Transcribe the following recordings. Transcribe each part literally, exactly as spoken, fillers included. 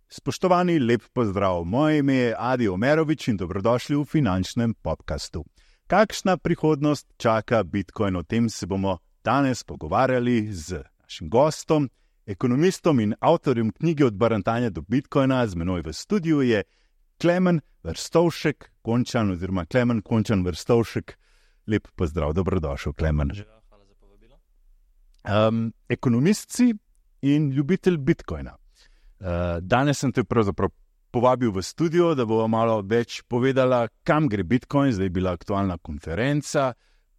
Spoštovani, lep pozdrav. Moje ime je Adi Omerovič in dobrodošli v finančnem podcastu. Kakšna prihodnost čaka Bitcoin? O tem se bomo danes pogovarjali z našim gostom, ekonomistom in avtorjem knjige Od barantanja do Bitcoina. Z menoj v studiu je Klemen Verstovšek, Končan oziroma Klemen Končan Verstovšek. Lep pozdrav, dobrodošel, Klemen. Hvala za povabilo. Um, ekonomist si in ljubitelj Bitcoina. Uh, danes sem te pravzaprav povabil v studio, da bomo malo več povedala, kam gre Bitcoin. Zdaj je bila aktualna konferenca,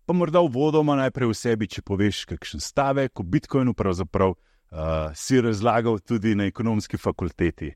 pa morda uvodoma najprej v sebi, če poveš kakšen stavek o Bitcoinu, pravzaprav uh, si razlagal tudi na ekonomski fakulteti.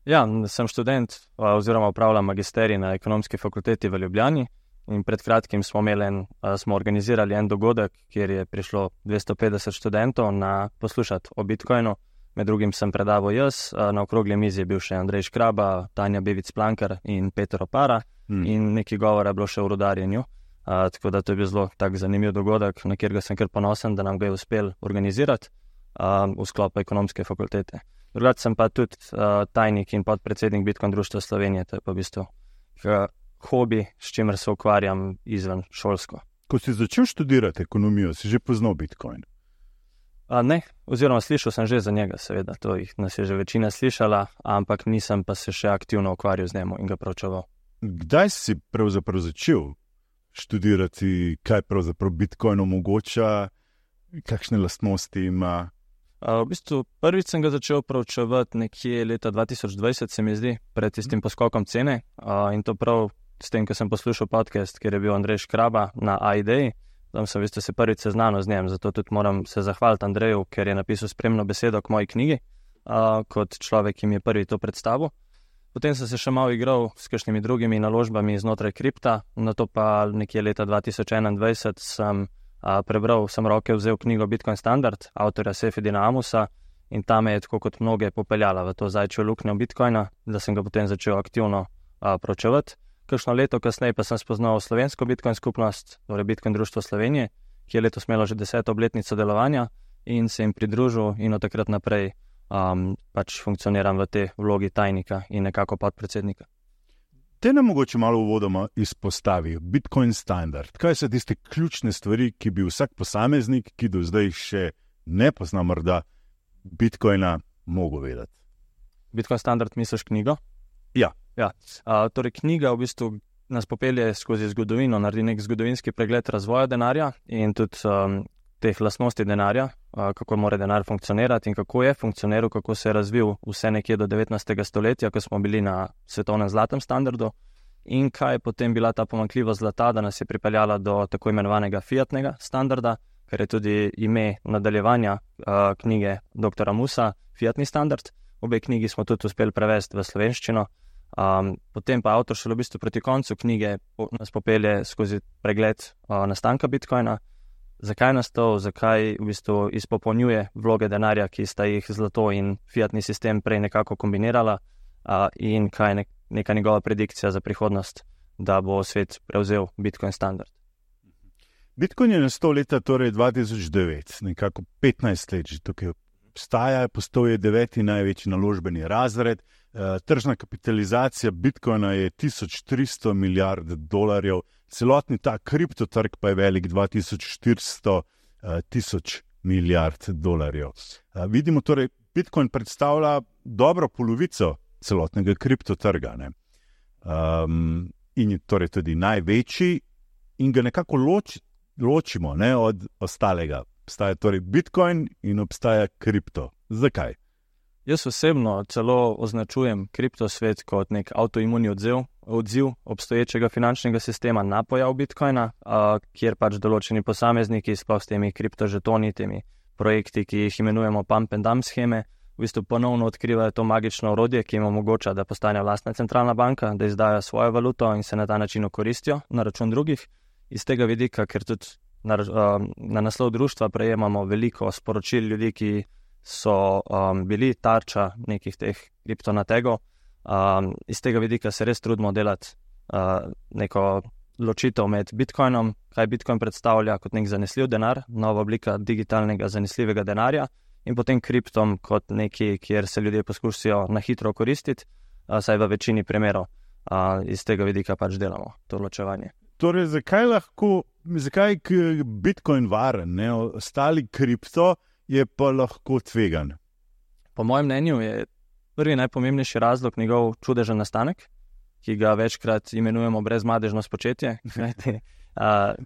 Ja, sem študent oziroma upravljam magisterij na ekonomski fakulteti v Ljubljani in pred kratkim smo, imeli en, smo organizirali en dogodek, kjer je prišlo dvesto petdeset študentov na poslušati o Bitcoinu. Med drugim sem predaval jaz, na okrogli mizi je bil še Andrej Škraba, Tanja Bevic-Plankar in Peter Opara hmm. in nekaj govora je bilo še o rudarjenju. A, tako da to je bil zelo tak zanimiv dogodek, na kjer ga sem kar ponosen, da nam ga je uspel organizirati a, v sklopu ekonomske fakultete. Drugače sem pa tudi uh, tajnik in podpredsednik Bitcoin društva Slovenije, to je pa v bistvu uh, hobi, s čimer se ukvarjam izven šolsko. Ko si začel študirati ekonomijo, si že poznal Bitcoin? Uh, ne, oziroma slišal sem že za njega, seveda, to jih nas je že večina slišala, ampak nisem pa se še aktivno ukvarjal z njim in ga proučeval. Kdaj si pravzaprav začel študirati, kaj pravzaprav Bitcoin omogoča, kakšne lastnosti ima? Uh, v bistvu prvič sem ga začel proučevati nekje leta dva tisoč dvajset, se mi zdi, pred tistim poskokom cene uh, in to prav s tem, ko sem poslušal podcast, kjer je bil Andrej Škraba na A-ideji. Tam sem v bistvu se prvič seznanil z njem, zato tudi moram se zahvaliti Andreju, ker je napisal spremno besedo k moji knjigi, uh, kot človek, ki mi je prvi to predstavil. Potem sem se še malo igral s kakšnimi drugimi naložbami znotraj kripta, nato pa nekje leta dva tisoč enaindvajset sem Uh, prebral, sem roke vzel knjigo Bitcoin Standard, avtorja Sefedina Amusa in ta me je tako kot mnoge popeljala v to zajčjo luknjo Bitcoina, da sem ga potem začel aktivno uh, proučevati. Kakšno leto kasneje pa sem spoznal slovensko Bitcoin skupnost, torej Bitcoin društvo Slovenije, ki je letos imelo že deseto obletnico delovanja in se jim pridružil in od takrat naprej um, pač funkcioniram v tej vlogi tajnika in nekako podpredsednika. Te nam mogoče malo uvodoma izpostavi Bitcoin Standard. Kaj so tiste ključne stvari, ki bi vsak posameznik, ki do zdaj še ne pozna morda Bitcoina, mogel vedeti? Bitcoin Standard misliš knjigo? Ja. ja. Uh, torej knjiga v bistvu nas popelje skozi zgodovino, naredi nek zgodovinski pregled razvoja denarja in tudi um, teh lastnosti denarja, uh, kako mora denar funkcionirati in kako je funkcioniral, kako se je razvil vse nekje do devetnajstega stoletja, ko smo bili na svetovnem zlatem standardu in kaj je potem bila ta pomanjkljivost zlata, da nas je pripeljala do tako imenovanega fiatnega standarda, kar je tudi ime nadaljevanja uh, knjige doktora Musa, Fiatni standard. Obe knjigi smo tudi uspeli prevesti v slovenščino. Um, potem pa avtor šele v bistvu proti koncu knjige nas popelje skozi pregled uh, nastanka Bitcoina, zakaj nastal, zakaj v bistvu izpopolnjuje vloge denarja, ki sta jih zlato in fiatni sistem prej nekako kombinirala uh, in kaj je nek, neka njegova predikcija za prihodnost, da bo svet prevzel Bitcoin standard. Bitcoin je nastal leta torej dva tisoč devet, nekako petnajst let že tukaj obstaja, postal je deveti največji naložbeni razred, uh, tržna kapitalizacija Bitcoina je tisoč tristo milijard dolarjev, celotni ta kriptotrg pa je velik dva tisoč štiristo tisoč milijard dolarjev. Uh, vidimo torej, Bitcoin predstavlja dobro polovico celotnega kriptotrga, ne? Um, in je torej tudi največji in ga nekako loč, ločimo ne, od ostalega. Obstaja torej Bitcoin in obstaja kripto. Zakaj? Jaz osebno celo označujem kriptosvet kot nek avtoimuni odziv, odziv obstoječega finančnega sistema na pojav Bitcoina, a, kjer pač določeni posamezniki, sploh s temi kriptožetoni, temi projekti, ki jih imenujemo pump and dump scheme, v bistvu ponovno odkrivajo to magično orodje, ki jim omogoča, da postane lastna centralna banka, da izdajo svojo valuto in se na ta način okoristijo na račun drugih. Iz tega vidika, ker tudi na, na naslov društva prejemamo veliko sporočil ljudi, ki so um, bili tarča nekih teh kriptonategov. Um, iz tega vidika se res trudimo delati uh, neko ločitev med Bitcoinom, kaj Bitcoin predstavlja kot nek zanesljiv denar, nova oblika digitalnega zanesljivega denarja, in potem kriptom kot neki, kjer se ljudje poskusijo na hitro koristiti, saj v večini primerov iz tega vidika pač delamo to ločevanje. Torej, zakaj lahko, zakaj je Bitcoin varen, ne? Ostali kripto je pa lahko tvegan? Po mojem mnenju je prvi najpomembnejši razlog njegov čudežen nastanek, ki ga večkrat imenujemo brezmadežno spočetje, uh,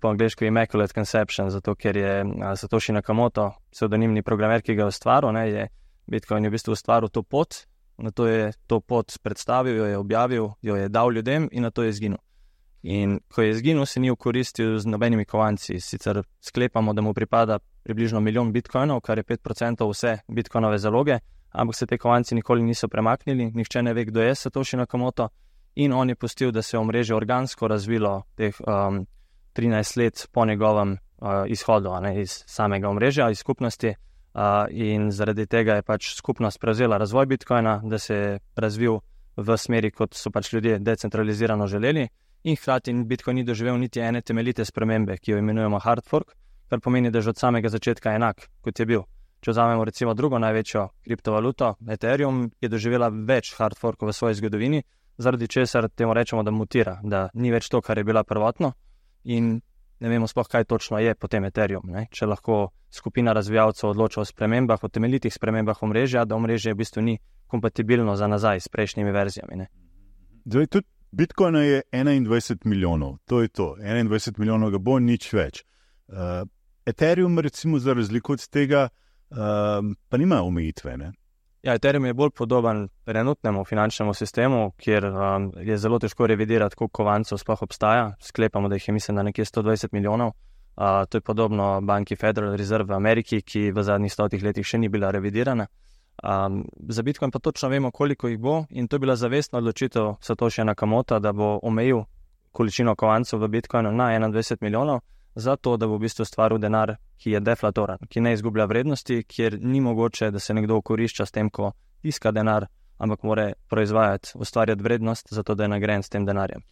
po angleško Immaculate Conception, zato ker je uh, Satoshi Nakamoto, psevdonimni programer, ki ga je ustvaril, ne, je Bitcoin je v bistvu ustvaril to pot, na to je to pot predstavil, jo je objavil, jo je dal ljudem in na to je izginil. In ko je izginil, se ni ukoristil z nobenimi kovanci, sicer sklepamo, da mu pripada približno milijon bitcoinov, kar je pet procentov vse bitcoinove zaloge, ampak se te kovanci nikoli niso premaknili, nihče ne ve, kdo je Satoshi Nakamoto, in on je pustil, da se je omrežje organsko razvilo teh um, trinajst let po njegovem uh, izhodu, ne, iz samega omrežja, iz skupnosti, uh, in zaradi tega je pač skupnost prevzela razvoj Bitcoina, da se je razvil v smeri, kot so pač ljudje decentralizirano želeli, in hkrati Bitcoin ni doživel niti ene temeljite spremembe, ki jo imenujemo hard fork, kar pomeni, da že od samega začetka enak, kot je bil. Če vzamemo recimo drugo največjo kriptovaluto, Ethereum, je doživela več hard forkov v svoji zgodovini, zaradi česar temu rečemo, da mutira, da ni več to, kar je bila prvotno, in ne vemo sploh, kaj točno je potem Ethereum. Ne? Če lahko skupina razvijalcev odloča o spremembah, o temeljitih spremembah omrežja, da omrežje v bistvu ni kompatibilno za nazaj s prejšnjimi verzijami. Ne? Zdaj, tudi Bitcoina je enaindvajset milijonov, to je to, enaindvajset milijonov ga bo, nič več. Uh, Ethereum recimo za razliko od tega uh, pa nima omejitve, ne? Ja, Ethereum je bolj podoben trenutnemu finančnemu sistemu, kjer um, je zelo težko revidirati, koliko kovancev sploh obstaja. Sklepamo, da jih je mislim, da nekje sto dvajset milijonov. Uh, to je podobno banki Federal Reserve v Ameriki, ki v zadnjih stotih letih še ni bila revidirana. Um, za Bitcoin pa točno vemo, koliko jih bo, in to je bila zavestna odločitev Satoshi Nakamota, da bo omejil količino kovancev v Bitcoinu na enaindvajset milijonov, zato da bo v bistvu stvaril denar, ki je deflatoran, ki ne izgublja vrednosti, kjer ni mogoče, da se nekdo okorišča s tem, ko tiska denar, ampak mora proizvajati, ustvarjati vrednost, zato da je nagrajen s tem denarjem.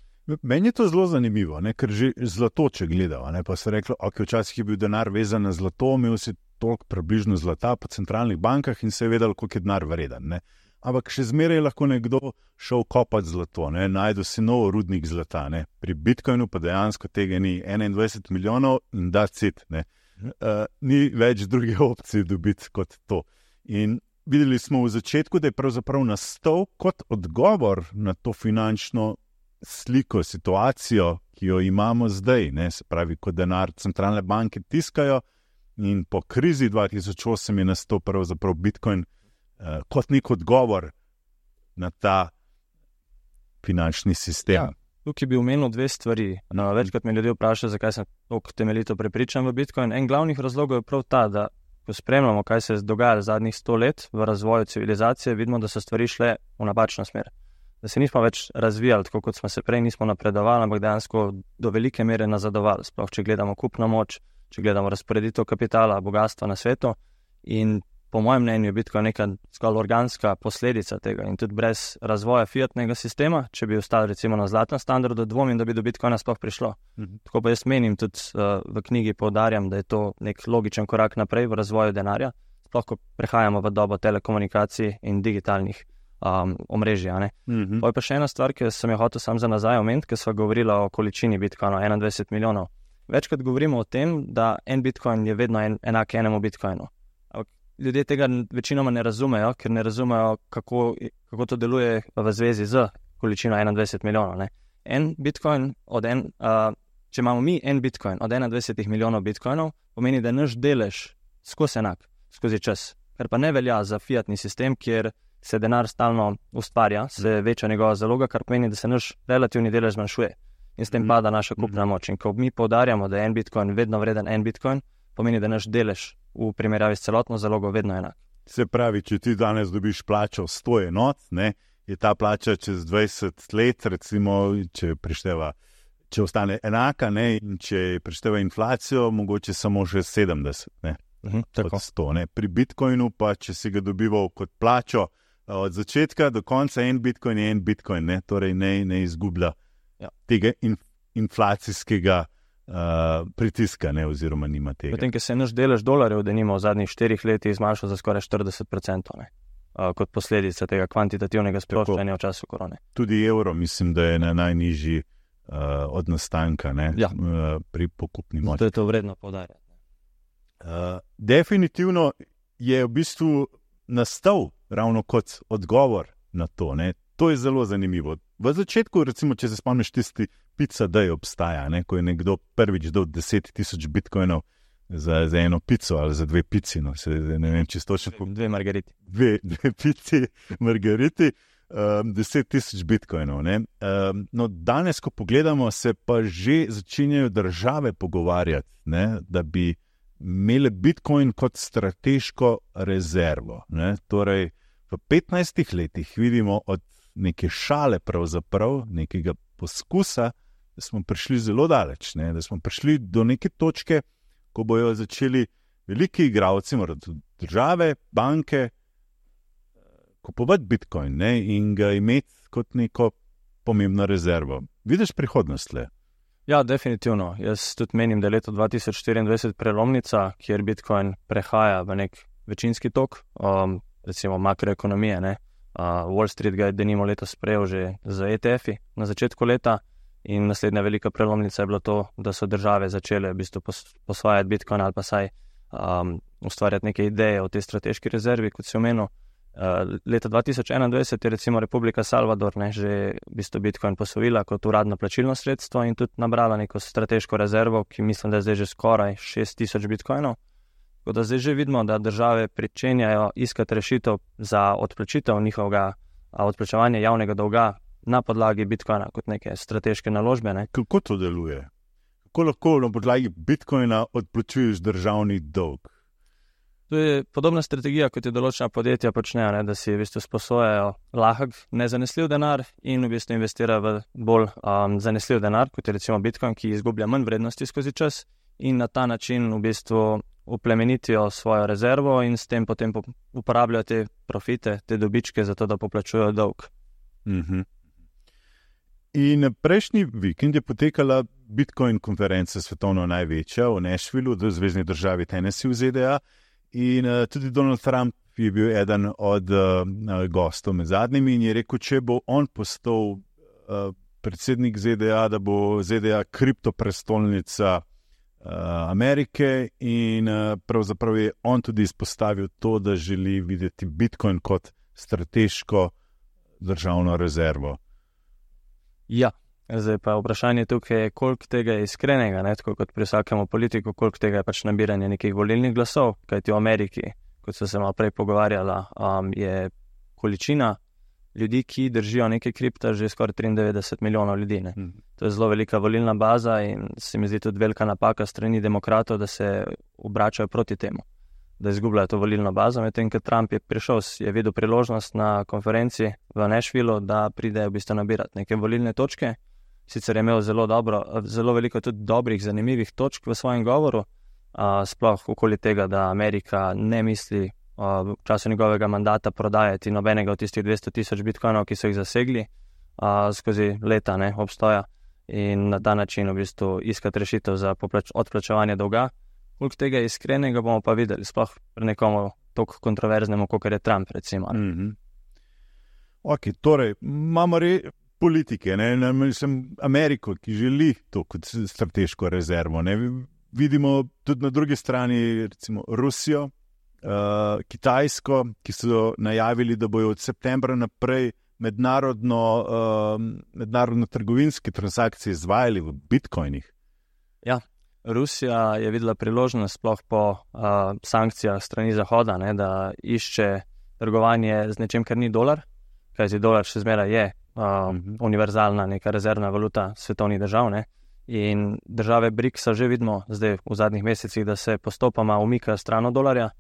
Meni je to zelo zanimivo, ne? Ker že zlato, če gledal, ne? Pa se reklo, ok, včasih je bil denar vezan na zlato, imel si toliko približno zlata po centralnih bankah in se je vedel, koliko je denar vreden. Ne? Ampak še zmeraj lahko nekdo šel kopati zlato, ne? Najdu si nov rudnik zlata. Ne? Pri Bitcoinu pa dejansko tega ni enaindvajset milijonov in that's it. Ne? Uh, ni več druge opcije dobiti kot to. In videli smo v začetku, da je pravzaprav nastal kot odgovor na to finančno sliko, situacijo, ki jo imamo zdaj. Ne? Se pravi, ko denar centralne banke tiskajo, in po krizi dva tisoč osem je nastal pravzaprav Bitcoin uh, kot nek odgovor na ta finančni sistem. Ja, tukaj bi omenil dve stvari. No, večkrat me ljudje vprašajo, zakaj sem tako temeljito prepričan v Bitcoin. En glavnih razlogov je prav ta, da ko spremljamo, kaj se je dogajalo zadnjih sto let v razvoju civilizacije, vidimo, da so stvari šle v napačno smer. Da se nismo več razvijali, tako kot smo se prej, nismo napredovali, ampak dejansko do velike mere nazadovali. Sploh, če gledamo kupno moč, če gledamo razporeditev kapitala, bogatstva na svetu, in po mojem mnenju je Bitcoin neka zgolj organska posledica tega, in tudi brez razvoja fiatnega sistema, če bi ostali recimo na zlatem standardu, dvomim, da bi do Bitcoina sploh prišlo. Mhm. Tako pa jaz menim, tudi uh, v knjigi poudarjam, da je to nek logičen korak naprej v razvoju denarja, sploh ko prehajamo v dobo telekomunikacij in digitalnih um, omrežij. Mhm. Pa je pa še ena stvar, ki sem jo hotel sam za nazaj omeniti, ker sva govorila o količini Bitcoina, enaindvajset milijonov. Večkrat govorimo o tem, da en Bitcoin je vedno en, enak enemu Bitcoinu. Ljudje tega večinoma ne razumejo, ker ne razumejo, kako, kako to deluje v zvezi z količino enaindvajset milijonov. Ne. En Bitcoin, od en, uh, če imamo mi en Bitcoin od enaindvajset milijonov Bitcoinov, pomeni, da je naš delež skozi enak, skozi čas. Kar pa ne velja za fiatni sistem, kjer se denar stalno ustvarja, se veča njegova zaloga, kar pomeni, da se naš relativni delež zmanjšuje. In s tem pada naša kupna moč. In ko mi poudarjamo, da je en Bitcoin vedno vreden en Bitcoin, pomeni, da naš delež v primerjavi s celotno zalogo vedno enak. Se pravi, če ti danes dobiš plačo sto enot, ne, je ta plača čez dvajset let, recimo, če prišteva, če ostane enaka, ne, in če prišteva inflacijo, mogoče samo še sedemdeset, ne, mhm, od sto. Ne. Pri Bitcoinu pa, če si ga dobival kot plačo od začetka do konca, en Bitcoin je en Bitcoin, ne, torej ne, ne izgublja ja. tega in inflacijskega uh, pritiska, ne, oziroma nima tega. Potem, ker se je naš delež dolarjev, denimo v zadnjih štirih letih zmanjšal za skoraj štirideset procentov, ne, uh, kot posledica tega kvantitativnega sproščanja v času korone. Tudi evro, mislim, da je na najnižji uh, od nastanka, ne, ja. uh, pri pokupni moči. Zato je to vredno poudarjati. Uh, definitivno je v bistvu nastal ravno kot odgovor na to, ne. To je zelo zanimivo. V začetku, recimo, če se spomniš tisti pica, da je obstaja, ne, ko je nekdo prvič dal deset tisoč bitcoinov za, za eno pico ali za dve pici, no, se, ne vem, če točno... Dve margariti. Dve, dve pici margariti, um, deset tisoč bitcoinov, ne. Um, no, danes, ko pogledamo, se pa že začenjajo države pogovarjati, ne, da bi imele bitcoin kot strateško rezervo, ne. Torej, v petnajstih letih vidimo od neke šale pravzaprav, nekega poskusa, da smo prišli zelo daleč, ne? Da smo prišli do neke točke, ko bojo začeli veliki igralci, morda države, banke, kupovati bitcoin, ne? In ga imeti kot neko pomembno rezervo. Vidiš prihodnost le? Ja, definitivno. Jaz tudi menim, da je leto dva tisoč štiriindvajset prelomnica, kjer bitcoin prehaja v nek večinski tok, um, recimo makroekonomije, ne? Uh, Wall Street ga je denimo letos sprejel že z E T F-i na začetku leta in naslednja velika prelomnica je bilo to, da so države začele v bistvu pos, posvajati bitcoin ali pa saj um, ustvarjati neke ideje o tej strateški rezervi, kot si omenil. Uh, leta dva tisoč enaindvajset je recimo Republika Salvador, ne, že v bistvu bitcoin posvojila kot uradno plačilno sredstvo in tudi nabrala neko strateško rezervo, ki mislim, da je zdaj že skoraj šest tisoč bitcoinov. Tako da zdaj že vidimo, da države pričenjajo iskati rešitev za odplačitev njihovega odplačevanja javnega dolga na podlagi bitcoina kot neke strateške naložbe. Ne? Kako to deluje? Kako lahko na podlagi bitcoina odplačuješ državni dolg? To je podobna strategija, kot je določena podjetja počnejo, ne? Da si v bistvu sposojajo lahek, nezanesljiv denar in v bistvu investirajo v bolj um, zanesljiv denar, kot je recimo bitcoin, ki izgublja manj vrednosti skozi čas in na ta način v bistvu uplemenitijo svojo rezervo in s tem potem uporabljajo te profite, te dobičke za to, da poplačujejo dolg. Mm-hmm. In prejšnji vikend je potekala Bitcoin konferenca svetovno največja v Nashvillu, v zvezni državi Tennessee v Z D A in uh, tudi Donald Trump je bil eden od uh, gostov med zadnjimi in je rekel, če bo on postal uh, predsednik Z D A, da bo Z D A kriptoprestolnica Amerike in pravzaprav je on tudi izpostavil to, da želi videti bitcoin kot strateško državno rezervo. Ja, zdaj pa vprašanje tukaj je, koliko tega je iskrenega, ne? Tako kot pri vsakemu politiku, koliko tega je pač nabiranje nekih volilnih glasov, kajti v Ameriki, kot so se malo prej pogovarjala, um, je količina ljudi, ki držijo neke kripta, že skoraj triindevetdeset milijonov ljudi. Ne? Mm. To je zelo velika volilna baza in se mi zdi tudi velika napaka strani demokratov, da se obračajo proti temu, da izgubljajo to volilno bazo. Medtem, ker Trump je prišel, je videl priložnost na konferenci v Nashvillu, da pride v bistvu nabirati neke volilne točke. Sicer je imel zelo, dobro, zelo veliko tudi dobrih, zanimivih točk v svojem govoru, uh, sploh okoli tega, da Amerika ne misli v času njegovega mandata prodajati nobenega od tistih dvesto tisoč bitcoinov, ki so jih zasegli a, skozi leta ne, obstoja in na ta način v bistvu iskati rešitev za poplač, odplačevanje dolga. Koliko tega iskrenega bomo pa videli, sploh pri nekomu toliko kontroverznemu, kot je Trump, recimo. Mm-hmm. Ok, torej, imamo re politike, ne, ne, mislim, Ameriko, ki želi to kot strateško rezervo. Ne. Vidimo tudi na drugi strani, recimo, Rusijo, Uh, Kitajsko, ki so najavili, da bojo od septembra naprej mednarodno, uh, mednarodno trgovinske transakcije izvajali v bitcoinih. Ja, Rusija je videla priložnost sploh po uh, sankcijah strani Zahoda, ne, da išče trgovanje z nečem, kar ni dolar, kajti dolar še zmeraj je uh, mm-hmm. univerzalna neka rezervna valuta svetovnih držav, ne. In države briksa že vidimo zdaj v zadnjih mesecih, da se postopoma umikajo stran od dolarja.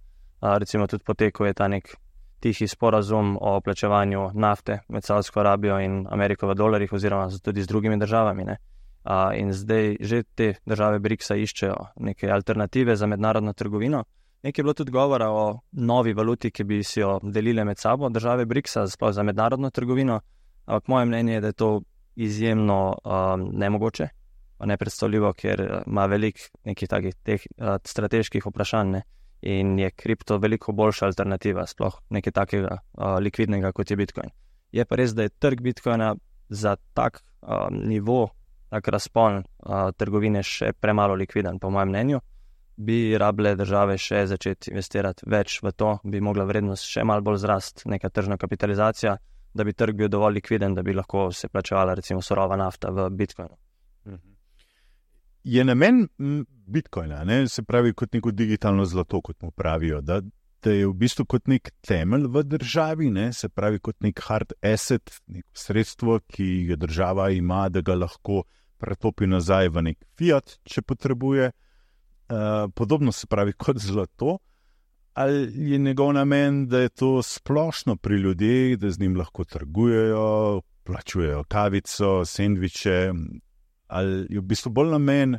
Uh, recimo tudi potekal je ta nek tihi sporazum o plačevanju nafte med Saudsko Arabijo in Ameriko v dolarjih oziroma tudi z drugimi državami. Ne? Uh, in zdaj že te države briksa iščejo neke alternative za mednarodno trgovino. Nekaj je bilo tudi govora o novi valuti, ki bi si jo delile med sabo države briksa, sploh za mednarodno trgovino, ampak moje mnenje je, da je to izjemno um, nemogoče. pa nepredstavljivo, ker ima veliko nekih takih teh, uh, strateških vprašanj, ne? In je kripto veliko boljša alternativa, sploh nekaj takega uh, likvidnega, kot je Bitcoin. Je pa res, da je trg Bitcoina za tak uh, nivo, tak razpon uh, trgovine še premalo likviden, po mojem mnenju. Bi rabile države še začeti investirati več v to, bi mogla vrednost še malo bolj zrast, neka tržna kapitalizacija, da bi trg bil dovolj likviden, da bi lahko se plačevala recimo surova nafta v Bitcoinu. Je namen Bitcoina, ne, se pravi kot neko digitalno zlato, kot mu pravijo, da, da je v bistvu kot nek temelj v državi, ne, se pravi kot nek hard asset, neko sredstvo, ki ga država ima, da ga lahko pretopi nazaj v nek fiat, če potrebuje. Uh, podobno se pravi kot zlato, ali je njegov namen, da je to splošno pri ljudeh, da z njim lahko trgujejo, plačujejo kavico, sendviče, ali je v bistvu bolj namen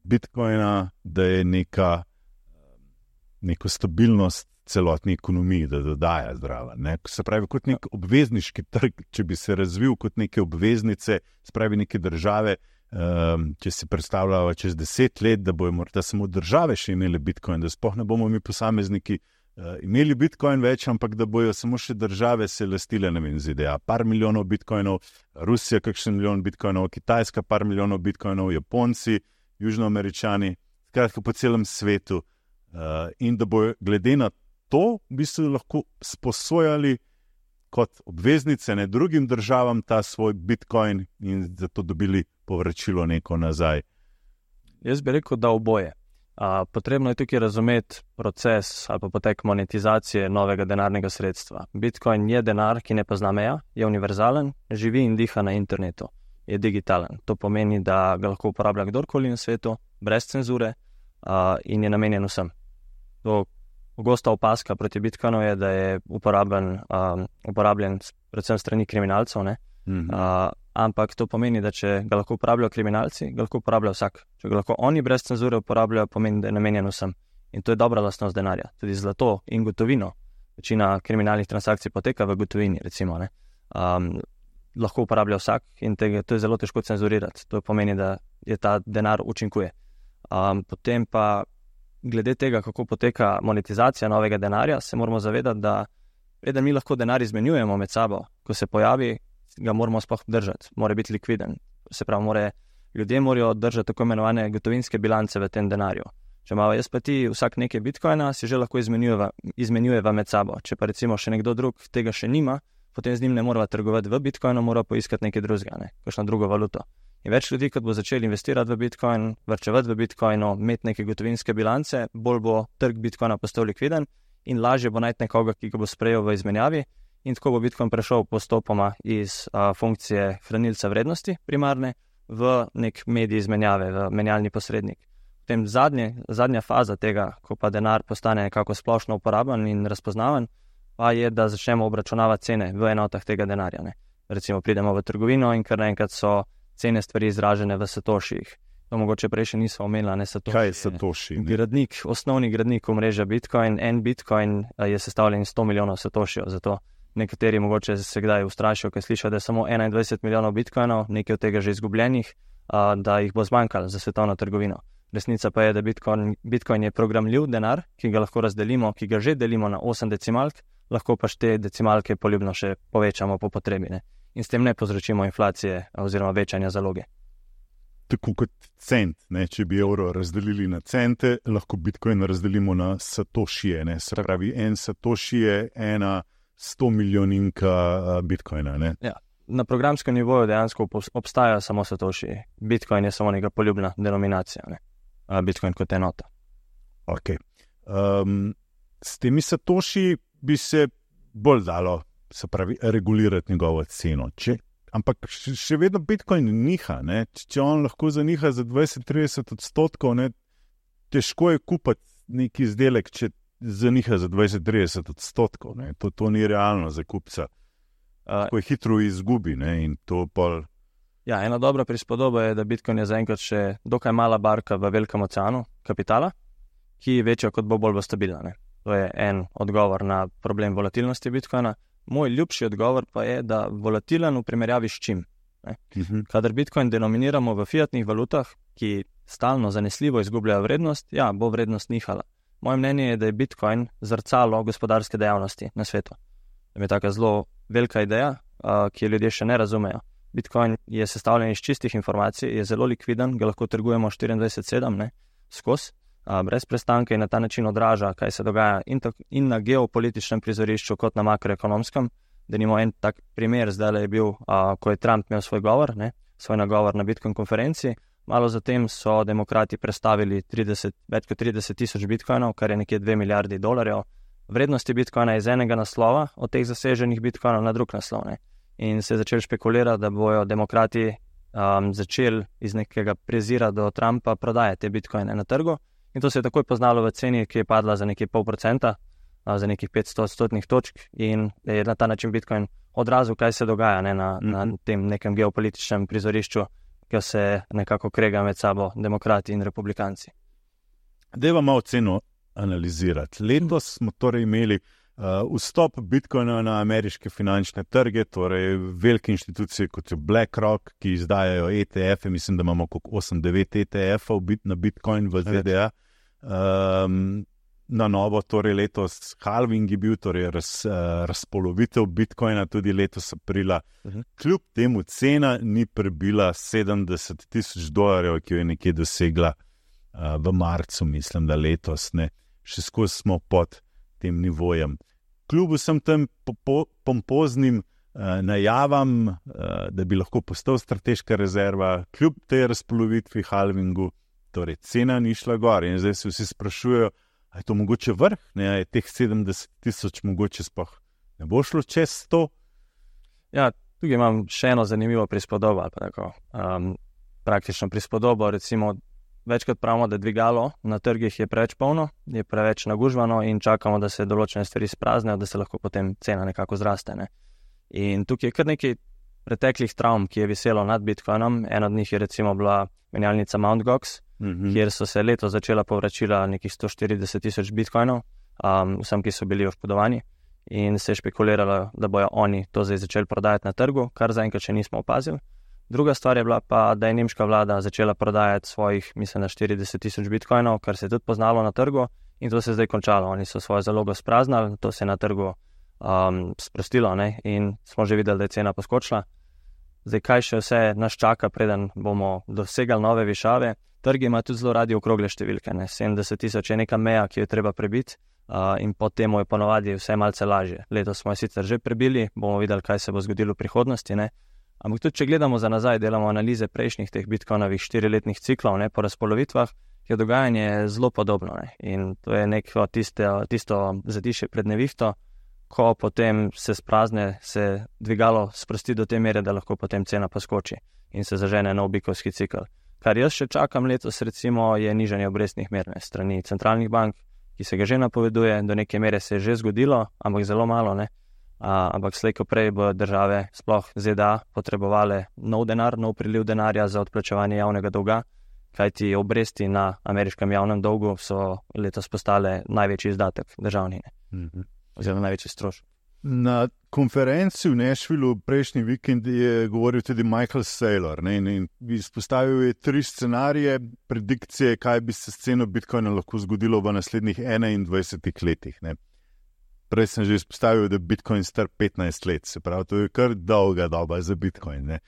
Bitcoina, da je neka neko stabilnost celotni ekonomiji, da dodaja zdrava. Ne? Se pravi kot nek obvezniški trg, če bi se razvil kot neke obveznice, se pravi neke države, Um, če si predstavljamo čez deset let, da bojo morda samo države še imeli Bitcoin, da sploh ne bomo mi posamezniki uh, imeli Bitcoin več, ampak da bojo samo še države se lastile, ne vem, Z D A par milijonov Bitcoinov, Rusija kakšen milijon Bitcoinov, Kitajska par milijonov Bitcoinov, Japonci, Južnoameričani, skratka po celem svetu uh, in da bojo glede na to v bistvu lahko sposojali kot obveznice ne drugim državam ta svoj Bitcoin in zato dobili povračilo neko nazaj. Jaz bi rekel, da oboje. A, potrebno je tukaj razumeti proces ali pa potek monetizacije novega denarnega sredstva. Bitcoin je denar, ki ne pozna meja, je univerzalen, živi in diha na internetu, je digitalen. To pomeni, da ga lahko uporablja kdorkoli na svetu, brez cenzure a, in je namenjen vsem. To Pogosta opaska proti Bitcoinu je, da je uporabljen, um, uporabljen predvsem strani kriminalcev, ne? Mm-hmm. Uh, ampak to pomeni, da če ga lahko uporabljajo kriminalci, ga lahko uporablja vsak. Če ga lahko oni brez cenzure uporabljajo, pomeni, da je namenjen vsem. In to je dobra lastnost denarja. Tudi zlato in gotovino. Večina kriminalnih transakcij poteka v gotovini, recimo. Ne? Um, lahko uporablja vsak in tega, to je zelo težko cenzurirati. To pomeni, da je ta denar učinkuje. Um, potem pa glede tega, kako poteka monetizacija novega denarja, se moramo zavedati, da preden mi lahko denar izmenjujemo med sabo, ko se pojavi, ga moramo sploh držati, mora biti likviden. Se pravi, more, ljudje morajo držati tako imenovane gotovinske bilance v tem denarju. Če imamo jaz pa ti vsak nekaj Bitcoina, si že lahko izmenjujeva, izmenjujeva med sabo. Če pa recimo še nekdo drug tega še nima, potem z njim ne morava trgovati v Bitcoinu, mora poiskati nekaj drugega, ne? Kakšno drugo valuto. In več ljudi, kot bo začeli investirati v Bitcoin, varčevati v Bitcoinu, imeti neke gotovinske bilance, bolj bo trg Bitcoina postal likviden in lažje bo najti nekoga, ki ga bo sprejel v izmenjavi in tako bo Bitcoin prešel postopoma iz a, funkcije hranilca vrednosti primarne v nek medij izmenjave, v menjalni posrednik. Potem zadnje, zadnja faza tega, ko pa denar postane nekako splošno uporaben in razpoznaven, pa je, da začnemo obračunavati cene v enotah tega denarja. Ne? Recimo pridemo v trgovino in kar naenkrat so cene stvari izražene v satošijih. To mogoče prej še nismo omenili, ne satoši. Kaj je satoši? Gradnik, osnovni gradnik omrežja Bitcoin, en Bitcoin je sestavljen sto milijonov satošijev, zato nekateri mogoče se kdaj ustrašijo, ker slišijo, da je samo enaindvajset milijonov Bitcoinov, nekaj od tega že izgubljenih, da jih bo zmanjkalo za svetovno trgovino. Resnica pa je, da Bitcoin, Bitcoin je programljiv denar, ki ga lahko razdelimo, ki ga že delimo na osem decimalk, lahko pa te decimalke poljubno še povečamo po potrebi, ne? In s tem ne povzročimo inflacije oziroma večanja zaloge. Tako kot cent, ne? Če bi evro razdelili na cente, lahko Bitcoin razdelimo na satošije. Ne? Se pravi, en satoši je ena sto milijoninka Bitcoina. Ne? Ja. Na programskem nivoju dejansko obstajajo samo satošiji. Bitcoin je samo neka poljubna denominacija, ne? Bitcoin kot enota. Ok. Um, s temi satoši bi se bolj dalo, se pravi, regulirati njegovo ceno. Če, ampak še vedno Bitcoin niha, ne? Če on lahko zaniha za dvajset do trideset odstotkov, ne? Težko je kupiti neki izdelek, če zaniha za dvajset do trideset odstotkov. Ne? To, to ni realno za kupca. Tako je hitro izgubi, ne? In to pol... Ja, ena dobra prispodoba je, da Bitcoin je zaenkrat še dokaj mala barka v velikem oceanu kapitala, ki je večja kot bo bolj bo stabilna. Ne? To je en odgovor na problem volatilnosti Bitcoina. Moj ljubši odgovor pa je, da volatilen v primerjavi s čim? Ne? Uh-huh. Kadar Bitcoin denominiramo v fiatnih valutah, ki stalno zanesljivo izgubljajo vrednost, ja, bo vrednost nihala. Moje mnenje je, da je Bitcoin zrcalo gospodarske dejavnosti na svetu. To je taka zelo velika ideja, uh, ki jo ljudje še ne razumejo. Bitcoin je sestavljen iz čistih informacij, je zelo likviden, ga lahko trgujemo štiriindvajset sedem, ne, skozi, uh, brez prestanka in na ta način odraža, kaj se dogaja in, tak, in na geopolitičnem prizorišču kot na makroekonomskem. Da nimo en tak primer, zdaj je bil, uh, ko je Trump imel svoj govor, ne, svoj nagovor na Bitcoin konferenci. Malo zatem so demokrati predstavili trideset, več kot trideset tisoč bitcoinov, kar je nekje dve milijardi dolarjev. Vrednosti bitcoina je iz enega naslova, od teh zaseženih bitcoinov na drug naslov. Ne. In se je začel špekulirati, da bojo demokrati um, začeli iz nekega prezira do Trumpa prodajati te bitcoine na trgu. In to se je takoj poznalo v ceni, ki je padla za nekaj pol procenta, uh, za nekih petsto odstotnih točk in je na ta način bitcoin odrazil, kaj se dogaja ne, na, mm. na tem nekem geopolitičnem prizorišču, ki se nekako krega med sabo demokrati in republikanci. Dajva malo ceno analizirati. Letos smo torej imeli uh, vstop Bitcoina na ameriške finančne trge, torej velike inštitucije kot je BlackRock, ki izdajajo E T F-e, mislim, da imamo kot osem devet E T F-ov na Bitcoin v Z D A. Um, na novo, torej letos halving je bil, torej raz, uh, razpolovitev Bitcoina tudi letos aprila. Uh-huh. Kljub temu cena ni prebila sedemdeset tisoč dolarjev, ki jo je nekje dosegla uh, v marcu, mislim, da letos, ne. Še skozi smo pod tem nivojem. Kljub vsem tem po- pompoznim uh, najavam, uh, da bi lahko postal strateška rezerva, kljub tej razpolovitvi halvingu, torej cena ni šla gor in zdaj se vsi sprašujejo, a je to mogoče vrh, ne, a je teh sedemdeset tisoč mogoče sploh ne bo šlo čez sto? Ja, tukaj imam še eno zanimivo prispodobo, ali pa tako, um, praktično prispodobo, recimo, večkrat pravimo, da dvigalo na trgih je preveč polno, je preveč nagužvano in čakamo, da se določene stvari spraznejo, da se lahko potem cena nekako zraste. Ne. In tukaj je kar nekaj preteklih travm, ki je viselo nad Bitcoinom. En od njih je recimo bila menjalnica Mt. Gox, mm-hmm. kjer so se leto začela povračila nekih sto štirideset tisoč bitcoinov, um, vsem, ki so bili oškodovani, in se je špekuliralo, da bojo oni to zdaj začeli prodajati na trgu, kar zaenkrat še nismo opazili. Druga stvar je bila pa, da je nemška vlada začela prodajati svojih, mislim, na štirideset tisoč bitcoinov, kar se je tudi poznalo na trgu, in to se je zdaj končalo. Oni so svojo zalogo spraznali, to se je na trgu um, sprostilo, ne? In smo že videli, da je cena poskočila. Zdaj, kaj še vse nas čaka, preden bomo dosegali nove višave? Trgi ima tudi zelo radi okrogle številke, ne? sedemdeset tisoč je neka meja, ki jo treba prebiti, uh, in potem je ponovadi vse malce lažje. Letos smo jo sicer že prebili, bomo videli, kaj se bo zgodilo v prihodnosti, ne? Ampak tudi, če gledamo za nazaj, delamo analize prejšnjih teh bitcoinovih štiriletnih ciklov, ne, po razpolovitvah, je dogajanje zelo podobno, ne. In to je neko tiste, tisto zatišje pred nevihto, ko potem se sprazne, se dvigalo sprosti do te mere, da lahko potem cena poskoči in se zažene nov bikovski cikl. Kar jaz še čakam letos, recimo, je nižanje obrestnih mer strani centralnih bank, ki se ga že napoveduje, do neke mere se je že zgodilo, ampak zelo malo, ne. A, ampak slej ko prej bo države, sploh Z D A, potrebovale nov denar, nov priliv denarja za odplačevanje javnega dolga, kajti obresti na ameriškem javnem dolgu so letos postale največji izdatek državni, mm-hmm. oziroma največji strošek. Na konferenci v Nashvillu prejšnji vikend je govoril tudi Michael Saylor, ne, in izpostavil je tri scenarije, predikcije, kaj bi se s ceno Bitcoina lahko zgodilo v naslednjih enaindvajsetih letih, ne. Prej sem že izpostavil, da Bitcoin star petnajst let, se pravi, to je kar dolga doba za Bitcoin, ne.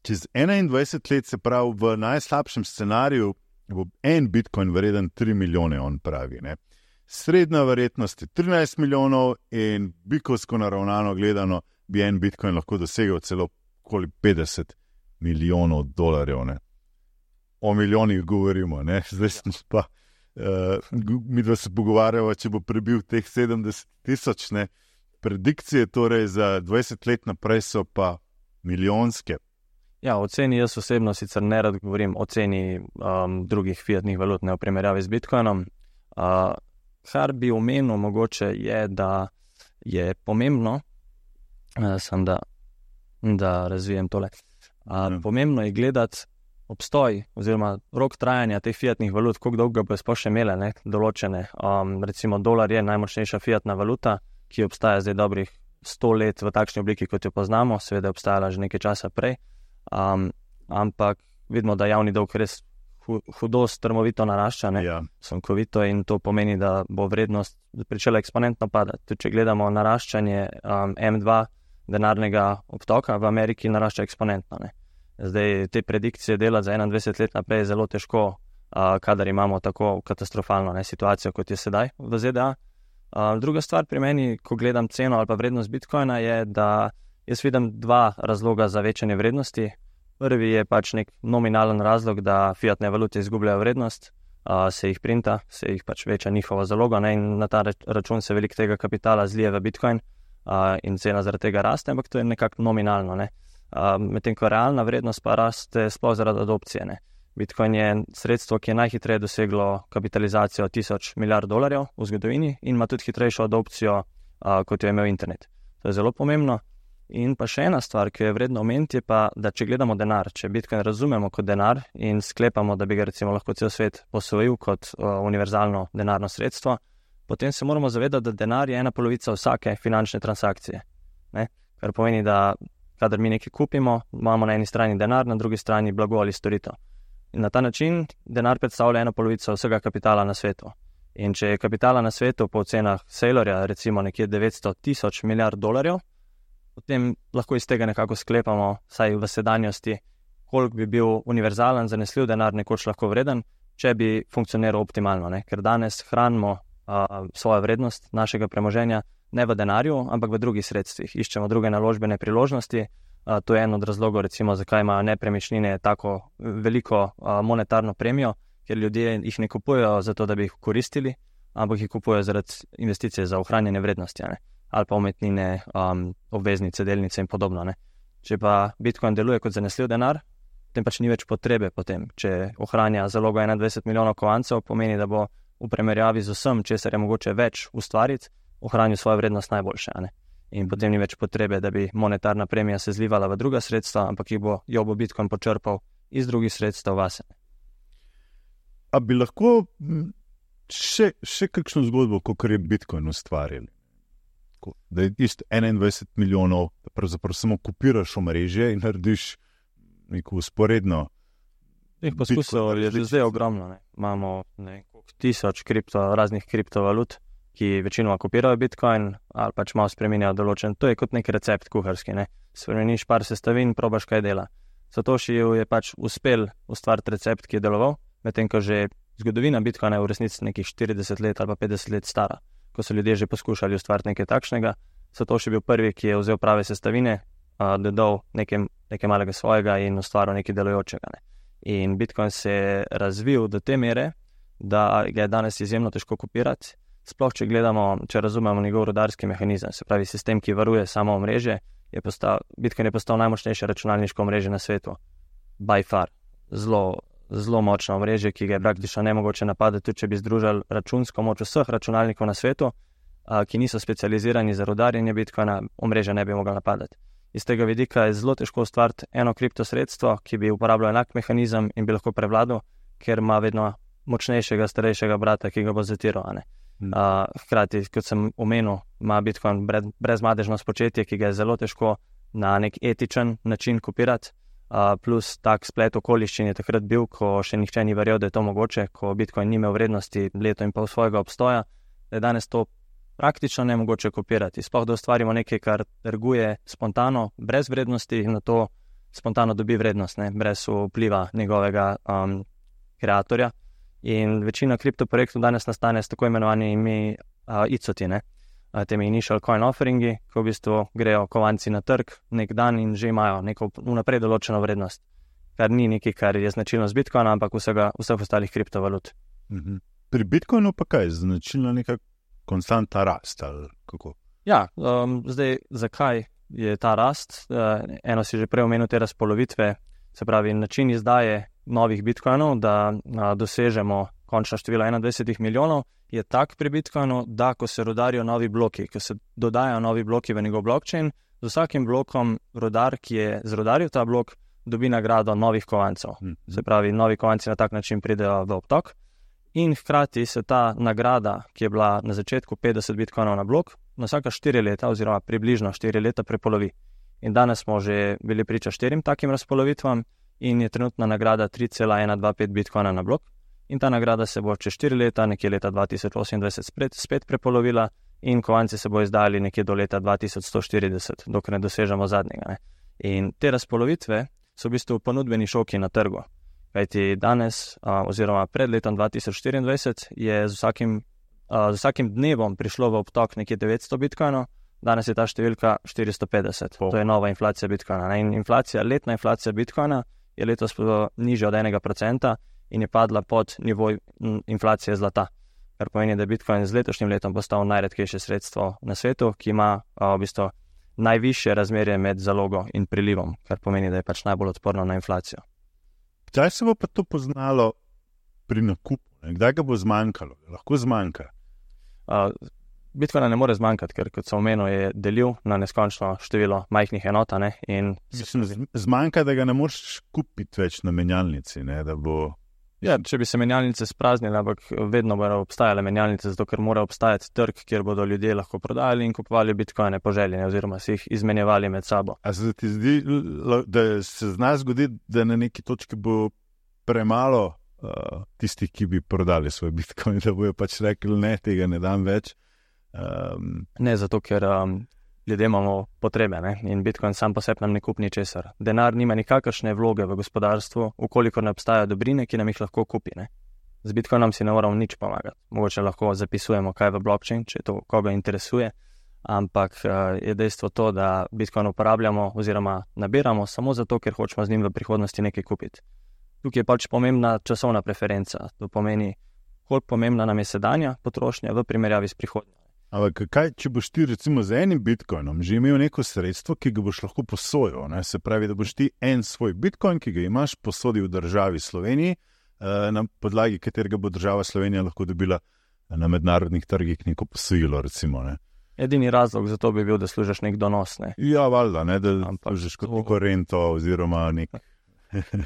Čez enaindvajset let, se pravi, v najslabšem scenariju bo en Bitcoin vreden tri milijone, on pravi, ne. Srednja verjetnost je trinajst milijonov in bikovsko naravnano gledano bi en Bitcoin lahko dosegel celo okoli petdeset milijonov dolarjev, ne. O milijonih govorimo, ne. Zdaj sem pa, uh, mi dva se pogovarjava, če bo prebil teh sedemdeset tisoč, ne. Predikcije torej za dvajset let naprej so pa milijonske. Ja, o ceni jaz osebno sicer ne rad govorim o ceni um, drugih fiatnih valut, ne v primerjavi z Bitcoinom. Uh, Kar bi omenil mogoče je, da je pomembno, sem da, da razvijem tole, a, pomembno je gledati obstoj oziroma rok trajanja teh fiatnih valut, koliko dolgo bo sploh še imele, ne, določene. Um, recimo dolar je najmočnejša fiatna valuta, ki obstaja zdaj dobrih sto let v takšni obliki, kot jo poznamo, seveda je obstajala že nekaj časa prej. Um, ampak vidimo, da javni dolg res hudo strmovito narašča, ne, Ja. sunkovito, in to pomeni, da bo vrednost pričela eksponentno padati. Tudi če gledamo naraščanje um, em dva denarnega obtoka v Ameriki, narašča eksponentno, ne. Zdaj te predikcije dela za enaindvajset let naprej je zelo težko, uh, kadar imamo tako katastrofalno, ne, situacijo, kot je sedaj v Z D A. Uh, druga stvar pri meni, ko gledam ceno ali pa vrednost Bitcoina, je, da jaz vidim dva razloga za večanje vrednosti. Prvi je pač nek nominalen razlog, da fiatne valute izgubljajo vrednost, uh, se jih printa, se jih pač veča njihova zaloga, ne, in na ta račun se veliko tega kapitala zlije v Bitcoin uh, in cena zaradi tega raste, ampak to je nekako nominalno, ne. Uh, medtem ko realna vrednost pa raste sploh zaradi adopcije, ne. Bitcoin je sredstvo, ki je najhitreje doseglo kapitalizacijo tisoč milijard dolarjev v zgodovini in ima tudi hitrejšo adopcijo, uh, kot jo je imel internet. To je zelo pomembno. In pa še ena stvar, ki je vredno omeniti, je pa, da če gledamo denar, če Bitcoin razumemo kot denar in sklepamo, da bi ga recimo lahko cel svet posvojil kot uh, univerzalno denarno sredstvo, potem se moramo zavedati, da denar je ena polovica vsake finančne transakcije. Ne? Kar pomeni, da kadar mi nekaj kupimo, imamo na eni strani denar, na drugi strani blago ali storitev. In na ta način denar predstavlja eno polovico vsega kapitala na svetu. In če je kapitala na svetu po ocenah Saylorja recimo nekje devetsto tisoč milijard dolarjev, potem lahko iz tega nekako sklepamo, saj v sedanjosti, koliko bi bil univerzalen, zanesljiv denar nekoč lahko vreden, če bi funkcioniral optimalno, ne? Ker danes hranimo uh, svojo vrednost našega premoženja ne v denarju, ampak v drugih sredstvih. Iščemo druge naložbene priložnosti. Uh, to je en od razlogov, recimo, zakaj imajo nepremičnine tako veliko uh, monetarno premijo, ker ljudje jih ne kupujejo zato, da bi jih koristili, ampak jih kupujejo zaradi investicije za ohranjanje vrednosti, ne? Ali pa umetnine, um, obveznice, delnice in podobno, ne. Če pa Bitcoin deluje kot zanesljiv denar, potem pač ni več potrebe potem. Če ohranja zalogo enaindvajset milijonov kovancev, pomeni, da bo v primerjavi z vsem, česar je mogoče več ustvariti, ohranil svojo vrednost najboljše, ne. In potem ni več potrebe, da bi monetarna premija se zlivala v druga sredstva, ampak jih bo, jo bo Bitcoin počrpal iz drugih sredstev vase. A bi lahko še, še kakšno zgodbo, kakor je Bitcoin ustvarili? Da je isto enaindvajset milijonov, da pravzaprav samo kopiraš omrežje in narediš neko usporedno. Teh poskusov je že zdaj ogromno, ne. Imamo nekaj tisoč kripto, raznih kriptovalut, ki večinoma kopirajo Bitcoin ali pač malo spreminjajo določen. To je kot nek recept kuharski, ne. Spremeniš par sestavin, probaš, kaj dela. Satoshiju je pač uspel ustvariti recept, ki je deloval, medtem ko že zgodovina Bitcoina je v resnici nekih štirideset let ali pa petdeset let stara. Ko so ljudje že poskušali ustvariti nekaj takšnega, Satoshi je bil prvi, ki je vzel prave sestavine, uh, dodal nekaj, nekaj malega svojega in ustvaril nekaj delujočega, ne. In Bitcoin se je razvil do te mere, da ga je danes izjemno težko kopirati, sploh če gledamo, če razumemo njegov rudarski mehanizem, se pravi sistem, ki varuje samo omrežje, je postal, Bitcoin je postal najmočnejše računalniško omrežje na svetu. By far. Zelo zelo močno omrežje, ki ga je praktično nemogoče napadati, tudi če bi združili računsko moč vseh računalnikov na svetu, a, ki niso specializirani za rudarjenje Bitcoina, omrežja ne bi mogli napadati. Iz tega vidika je zelo težko ustvariti eno kriptosredstvo, ki bi uporabljalo enak mehanizem in bi lahko prevladal, ker ima vedno močnejšega, starejšega brata, ki ga bo zatiral, ne. Hmm. A, hkrati, kot sem omenil, ima Bitcoin brezmadežno spočetje, ki ga je zelo težko na nek etičen način kopirati. Uh, plus tak splet okoliščin je takrat bil, ko še nihče ni verjel, da je to mogoče, ko Bitcoin ni imel vrednosti leto in pol svojega obstoja, da je danes to praktično nemogoče kopirati. Sploh da ustvarimo nekaj, kar trguje spontano, brez vrednosti in na to spontano dobi vrednost, ne, brez vpliva njegovega um, kreatorja. In večina kriptoprojektov danes nastane s tako imenovanimi uh, I C O T-i, ne. Temi initial coin offeringi, ko v bistvu grejo kovanci na trg nek dan in že imajo neko vnaprej določeno vrednost, kar ni nekaj, kar je značilno z Bitcoina, ampak vsega, vseh ostalih kriptovalut. Mhm. Pri Bitcoinu pa kaj, značilno neka konstanta rast ali kako? Ja, um, zdaj, zakaj je ta rast? Uh, eno si že prej omenil te razpolovitve, se pravi način izdaje novih Bitcoinov, da uh, dosežemo končno število enaindvajset milijonov, je tak pri Bitcoinu, da ko se rudarijo novi bloki, ko se dodajajo novi bloki v njegov blockchain, z vsakim blokom rudar, ki je zrudaril ta blok, dobi nagrado novih kovancev. Hmm. Se pravi, novi kovanci na tak način pridejo v obtok in hkrati se ta nagrada, ki je bila na začetku petdeset Bitcoinov na blok, na vsaka štiri leta oziroma približno štiri leta prepolovi. In danes smo že bili priča štirim takim razpolovitvam in je trenutna nagrada tri cela ena dva pet bitcoina na blok. In ta nagrada se bo čez štiri leta, nekje leta dva tisoč osemindvajset spet, spet prepolovila in kovanci se bo izdali nekje do leta dva tisoč sto štirideset, dokler ne dosežemo zadnjega. Ne. In te razpolovitve so v bistvu ponudbeni šoki na trgu. Kajti danes a, oziroma pred letom dva tisoč štiriindvajset je z vsakim, a, z vsakim dnevom prišlo v obtok nekje devetsto bitcoinov, danes je ta številka štiristo petdeset. Oh. To je nova inflacija bitcoina. Ne. In inflacija, letna inflacija bitcoina je letos nižja od enega procenta in je padla pod nivoj inflacije zlata. Kar pomeni, da je bitcoin z letošnjim letom postal najredkejše sredstvo na svetu, ki ima a, v bistvu najvišje razmerje med zalogo in prilivom, kar pomeni, da je pač najbolj odporno na inflacijo. Kdaj se bo pa to poznalo pri nakupu? Kdaj ga bo zmanjkalo? Lahko zmanjka? Uh, Bitcoina ne more zmanjkati, ker kot sem omenil, je delil na neskončno število majhnih enot. Ne? In Mislim, zmanjka, da ga ne moreš kupiti več na menjalnici, ne? Da bo... Ja, če bi se menjalnice spraznile, ampak vedno bodo obstajale menjalnice, zato ker mora obstajati trg, kjer bodo ljudje lahko prodajali in kupovali bitcoine po želji, oziroma si jih izmenjevali med sabo. A se ti zdi, da se zna zgoditi, da na neki točki bo premalo uh, tistih, ki bi prodali svoj bitcoin, da bojo pač rekli, ne, tega ne dam več? Um... Ne, zato ker um, ljudje imamo potrebe, ne? In bitcoin sam po sebi nam ne kupi ničesar. Denar nima nikakršne vloge v gospodarstvu, ukolikor ne obstajajo dobrine, ki nam jih lahko kupi. Ne? Z bitcoinom si ne moramo nič pomagati. Mogoče lahko zapisujemo kaj v blockchain, če to koga interesuje, ampak uh, je dejstvo to, da bitcoin uporabljamo oziroma nabiramo samo zato, ker hočemo z njim v prihodnosti nekaj kupiti. Tukaj je pač pomembna časovna preferenca. To pomeni, koliko pomembna nam je sedanja potrošnja v primerjavi s prihodnjo. Ampak kaj, če boš ti recimo z enim bitcoinom že imel neko sredstvo, ki ga boš lahko posojil, ne? Se pravi, da boš ti en svoj bitcoin, ki ga imaš, posodil v državi Sloveniji, eh, na podlagi katerega bo država Slovenija lahko dobila na mednarodnih trgih neko posojilo, recimo. Ne? Edini razlog za to bi bil, da služiš nek donos. Ne? Ja, valjda, ne, da služiš kot neko rento oziroma nek...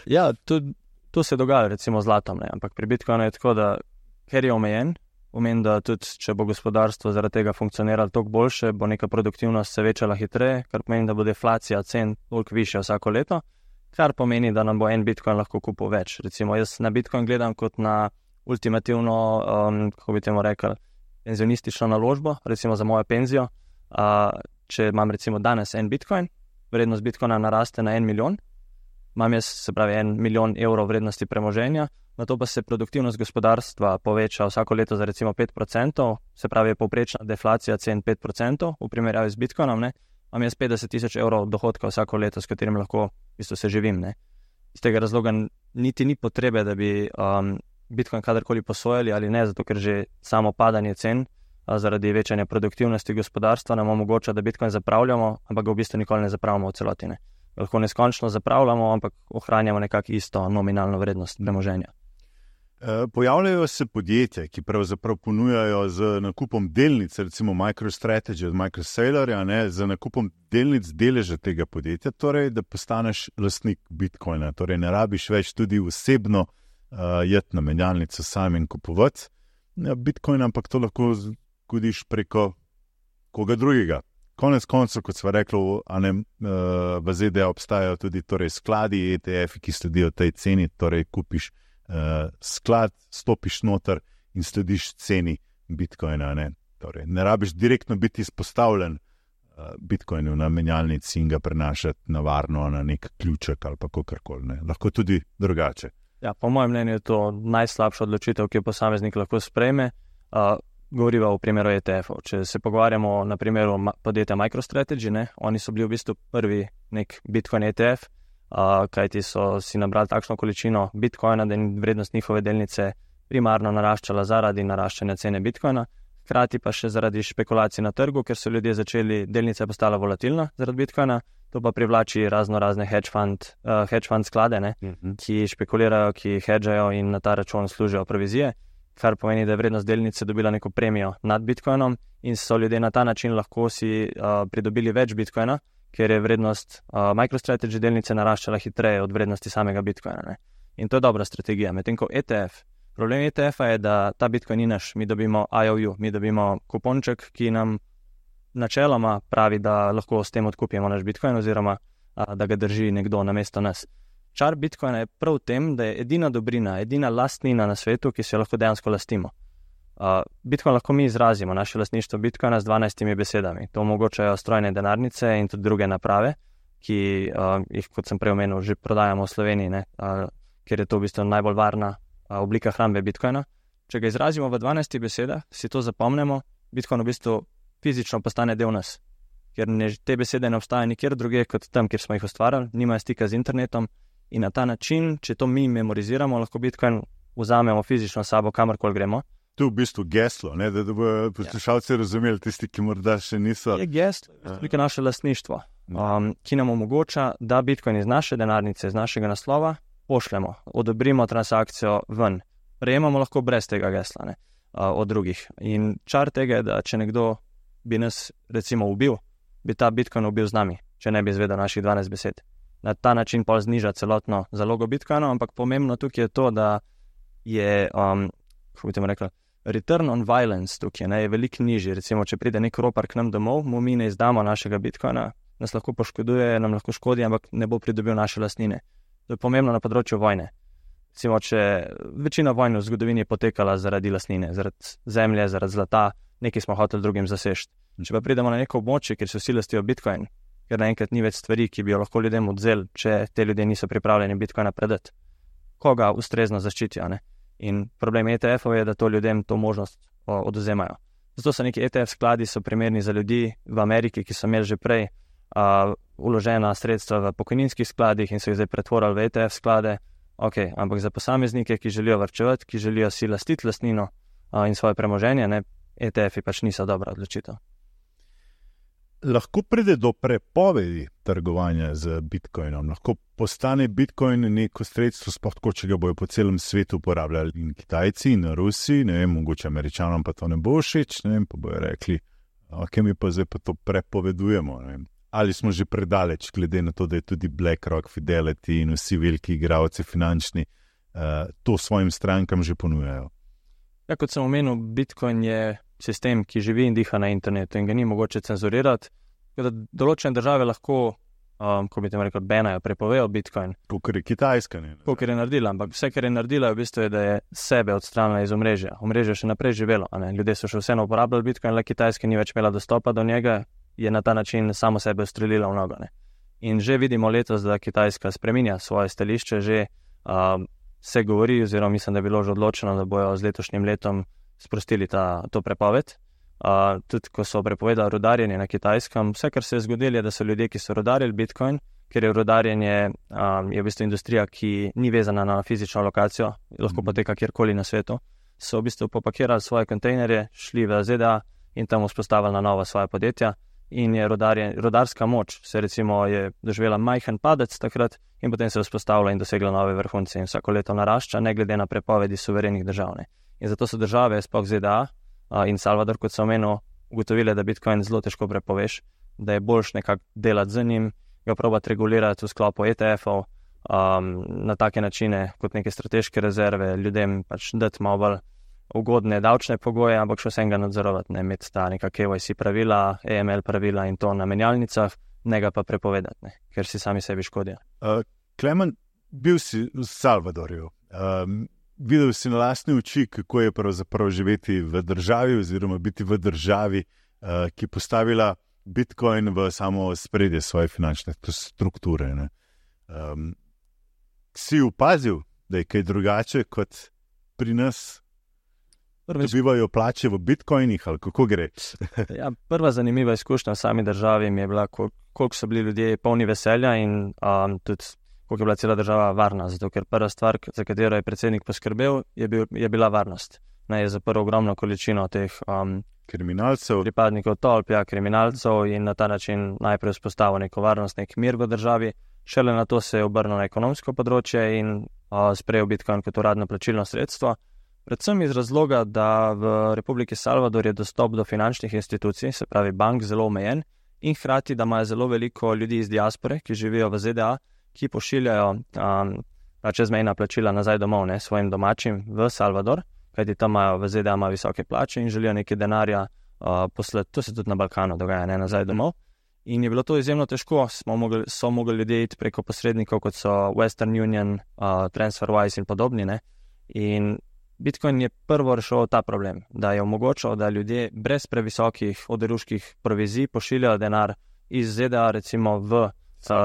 Ja, to, to se dogaja recimo z zlatom, ne? Ampak pri bitcoinu je tako, da ker je omejen, Omen, da tudi, če bo gospodarstvo zaradi tega funkcioniralo toliko boljše, bo neka produktivnost se večala hitreje, kar pomeni, da bo deflacija cen toliko višja vsako leto, kar pomeni, da nam bo en bitcoin lahko kupil več. Recimo, jaz na bitcoin gledam kot na ultimativno, um, kako bi temu rekel, penzionistično naložbo, recimo za mojo penzijo. Uh, če imam recimo danes en bitcoin, vrednost bitcoina naraste na en milijon, imam jaz, se pravi, en milijon evrov vrednosti premoženja, na to pa se produktivnost gospodarstva poveča vsako leto za recimo pet procentov, se pravi, je povprečna deflacija cen pet procentov v primerjavi z bitcoinom, ne, imam jaz petdeset tisoč evrov dohodka vsako leto, s katerim lahko v bistvu se živim. Ne. Iz tega razloga niti ni potrebe, da bi um, bitcoin kadarkoli posojali ali ne, zato ker že samo padanje cen a, zaradi večanja produktivnosti gospodarstva nam omogoča, da bitcoin zapravljamo, ampak ga v bistvu nikoli ne zapravljamo v celoti. Ne. Lahko neskončno zapravljamo, ampak ohranjamo nekako isto nominalno vrednost premoženja. Pojavljajo se podjetja, ki pravzaprav ponujajo z nakupom delnic, recimo MicroStrategy od MicroSailorja, ne, z nakupom delnic deleža tega podjetja, torej da postaneš lastnik bitcoina, torej ne rabiš več tudi osebno uh, jeti na menjalnico sam in kupovati ja, bitcoin, ampak to lahko zgodiš preko koga drugega. Konec koncev, kot sva rekla, a ne, uh, v Z D A obstajajo tudi torej skladi E T F, ki sledijo tej ceni, torej kupiš Uh, sklad, stopiš noter in slediš ceni bitcoina. Ne, torej, ne rabiš direktno biti izpostavljen uh, bitcoinu na menjalnici in ga prenašati na varno na nek ključek ali pa kakorkoli. Ne. Lahko tudi drugače. Ja, po mojem mnenju je to najslabša odločitev, ki jo posameznik lahko sprejme. Uh, govoriva v primeru E T F-ov. Če se pogovarjamo na primeru podjetja MicroStrategy, ne, oni so bili v bistvu prvi nek bitcoin E T F, Uh, kajti so si nabrali takšno količino bitcoina, da je vrednost njihove delnice primarno naraščala zaradi naraščanja cene bitcoina, hkrati pa še zaradi špekulacij na trgu, ker so ljudje začeli, delnica postala volatilna zaradi bitcoina, to pa privlači razno razne hedge fund, uh, hedge fund sklade, ne, mm-hmm. ki špekulirajo, ki hedžajo in na ta račun služijo provizije, kar pomeni, da je vrednost delnice dobila neko premijo nad bitcoinom in so ljudje na ta način lahko si uh, pridobili več bitcoina, ker je vrednost uh, MicroStrategy delnice naraščala hitreje od vrednosti samega bitcoina. Ne? In to je dobra strategija. Medtem ko E T F, problem E T F-a je, da ta bitcoin ni naš, mi dobimo I O U, mi dobimo kuponček, ki nam načeloma pravi, da lahko s tem odkupimo naš Bitcoin oziroma a, da ga drži nekdo namesto nas. Čar Bitcoina je prav v tem, da je edina dobrina, edina lastnina na svetu, ki se jo lahko dejansko lastimo. Uh, Bitcoin lahko mi izrazimo, naše lastništvo Bitcoina z dvanajstimi besedami. To omogočajo strojne denarnice in tudi druge naprave, ki uh, jih, kot sem prej omenil, že prodajamo v Sloveniji, ne? Uh, ker je to v bistvu najbolj varna uh, oblika hrambe Bitcoina. Če ga izrazimo v dvanajstih besedah, si to zapomnimo, Bitcoin v bistvu fizično postane del nas. Ker ne, te besede ne obstajajo nikjer druge kot tam, kjer smo jih ustvarjali, nimajo stika z internetom in na ta način, če to mi memoriziramo, lahko Bitcoin vzamemo fizično sabo, kamorkoli gremo. To je v bistvu geslo, ne, da, da bodo poslušalci ja. razumeli, tisti, ki morda še niso. Je geslo, je naše lastništvo, um, ki nam omogoča, da Bitcoin iz naše denarnice, iz našega naslova pošljemo, odobrimo transakcijo ven. Prejemamo lahko brez tega gesla, ne, uh, od drugih. In čar tega je, da če nekdo bi nas recimo ubil, bi ta Bitcoin ubil z nami, če ne bi izvedel naših dvanajst besed. Na ta način pa zniža celotno zalogo Bitcoina, ampak pomembno tukaj je to, da je, um, kako bi temu rekla, return on violence tukaj ne, je veliko nižji. Recimo, če pride nek ropar k nam domov, mu mi ne izdamo našega Bitcoina, nas lahko poškoduje, nam lahko škodi, ampak ne bo pridobil naše lastnine. To je pomembno na področju vojne. Recimo, če večina vojn v zgodovini je potekala zaradi lastnine, zaradi zemlje, zaradi zlata, nekaj smo hoteli drugim zasežiti. Če pa pridemo na neko območje, kjer se vsi lastijo Bitcoin, ker naenkrat ni več stvari, ki bi jo lahko ljudem odzeli, če te ljudje niso pripravljeni Bitcoina predati, koga ustrezno zaščitijo, ne? In problem E T F-ov je, da to ljudem to možnost odvzemajo. Zato so neki E T F skladi so primerni za ljudi v Ameriki, ki so imeli že prej uh, uložena sredstva v pokojninskih skladih in so jih zdaj pretvorili v E T F sklade. Ok, ampak za posameznike, ki želijo varčevati, ki želijo si lastiti lastnino uh, in svoje premoženje, ne, E T F-i pač niso dobra odločitev. Lahko pride do prepovedi trgovanja z Bitcoinom, lahko postane Bitcoin neko sredstvo, sploh tako, če ga bojo po celem svetu uporabljali in Kitajci in Rusi, ne vem, mogoče Američanom pa to ne bo všeč, ne vem, pa bojo rekli, ok, mi pa zdaj pa to prepovedujemo, ne vem. Ali smo že predaleč, glede na to, da je tudi BlackRock, Fidelity in vsi veliki igralci finančni, uh, to svojim strankam že ponujajo. Ja, kot sem omenil, Bitcoin je sistem, ki živi in diha na internetu in ga ni mogoče cenzurirati. Da določene države lahko, um, ko bi tem rekel, benajo, prepovejo Bitcoin. Kakor je Kitajska, ne? Kakor je naredila, ampak vse, kar je naredila, je v bistvu, je, da je sebe odstranila iz omrežja. Omrežje še naprej živelo, a ne? Ljudje so še vseeno uporabljali Bitcoin, le Kitajska ni več imela dostopa do njega, je na ta način samo sebe ustrelila v nogo, ne? In že vidimo letos, da Kitajska spreminja svoje stališče, že um, se govori, oziroma mislim, da je bilo že odločeno, da bojo z letošnjim letom sprostili ta, to prepoved. Uh, tudi ko so prepovedali rudarjenje na Kitajskem, vse, kar se je zgodilo, je, da so ljudje, ki so rudarili Bitcoin, ker je rudarjenje um, je v bistvu industrija, ki ni vezana na fizično lokacijo, lahko poteka kjerkoli na svetu, so v bistvu popakirali svoje kontejnerje, šli v Z D A in tam vzpostavili na novo svoje podjetja in je rudarje, rudarska moč se recimo je doživela majhen padec takrat in potem se je vzpostavila in dosegla nove vrhunce in vsako leto narašča, ne glede na prepovedi suverenih držav. Ne. In zato so države, sploh Z D A uh, in Salvador, kot so omenil, ugotovile, da Bitcoin zelo težko prepoveš, da je boljš nekako delati z njim, ga probati regulirati v sklopu E T F-ov um, na take načine kot neke strateške rezerve, ljudem pač dati malo bolj ugodne davčne pogoje, ampak še vsem ga nadzorovati, ne imeti ta neka K Y C pravila, A M L pravila in to na menjalnicah, ne ga pa prepovedati, ne, ker si sami sebi škodijo. Uh, Klemen, bil si v Salvadorju. Um, videl si na lastne oči, kako je pravzaprav živeti v državi oziroma biti v državi, uh, ki je postavila Bitcoin v samo spredje svoje finančne strukture. Ne. Um, si opazil, da je kaj drugače kot pri nas? Dobivajo plače v bitcoinih ali kako gre? Ja, prva zanimiva izkušnja v sami državi mi je bila, kol- koliko so bili ljudje polni veselja in um, tudi koliko je bila cela država varna, zato ker prva stvar, za katero je predsednik poskrbel, je, bil, je bila varnost. Ne, je zaprl ogromno količino teh um, kriminalcev, pripadnikov tolp, ja, kriminalcev in na ta način najprej vzpostavil neko varnost, nek mir v državi, šele na to se je obrnil na ekonomsko področje in uh, sprejel Bitcoin kot uradno plačilno sredstvo. Predvsem iz razloga, da v Republiki Salvador je dostop do finančnih institucij, se pravi bank, zelo omejen in hkrati, da imajo zelo veliko ljudi iz diaspore, ki živijo v Z D A, ki pošiljajo um, čezmejna plačila nazaj domov, ne, svojim domačim v Salvador, kajti tam imajo v Z D A imajo visoke plače in želijo nekaj denarja uh, poslati, to se tudi na Balkanu dogaja, ne nazaj domov. In je bilo to izjemno težko, smo mogli, so mogli ljudje iti preko posrednikov, kot so Western Union, uh, TransferWise in podobni. Ne? In Bitcoin je prvo rešil ta problem, da je omogočal, da ljudje brez previsokih oderuških provizij pošiljajo denar iz Z D A recimo v uh,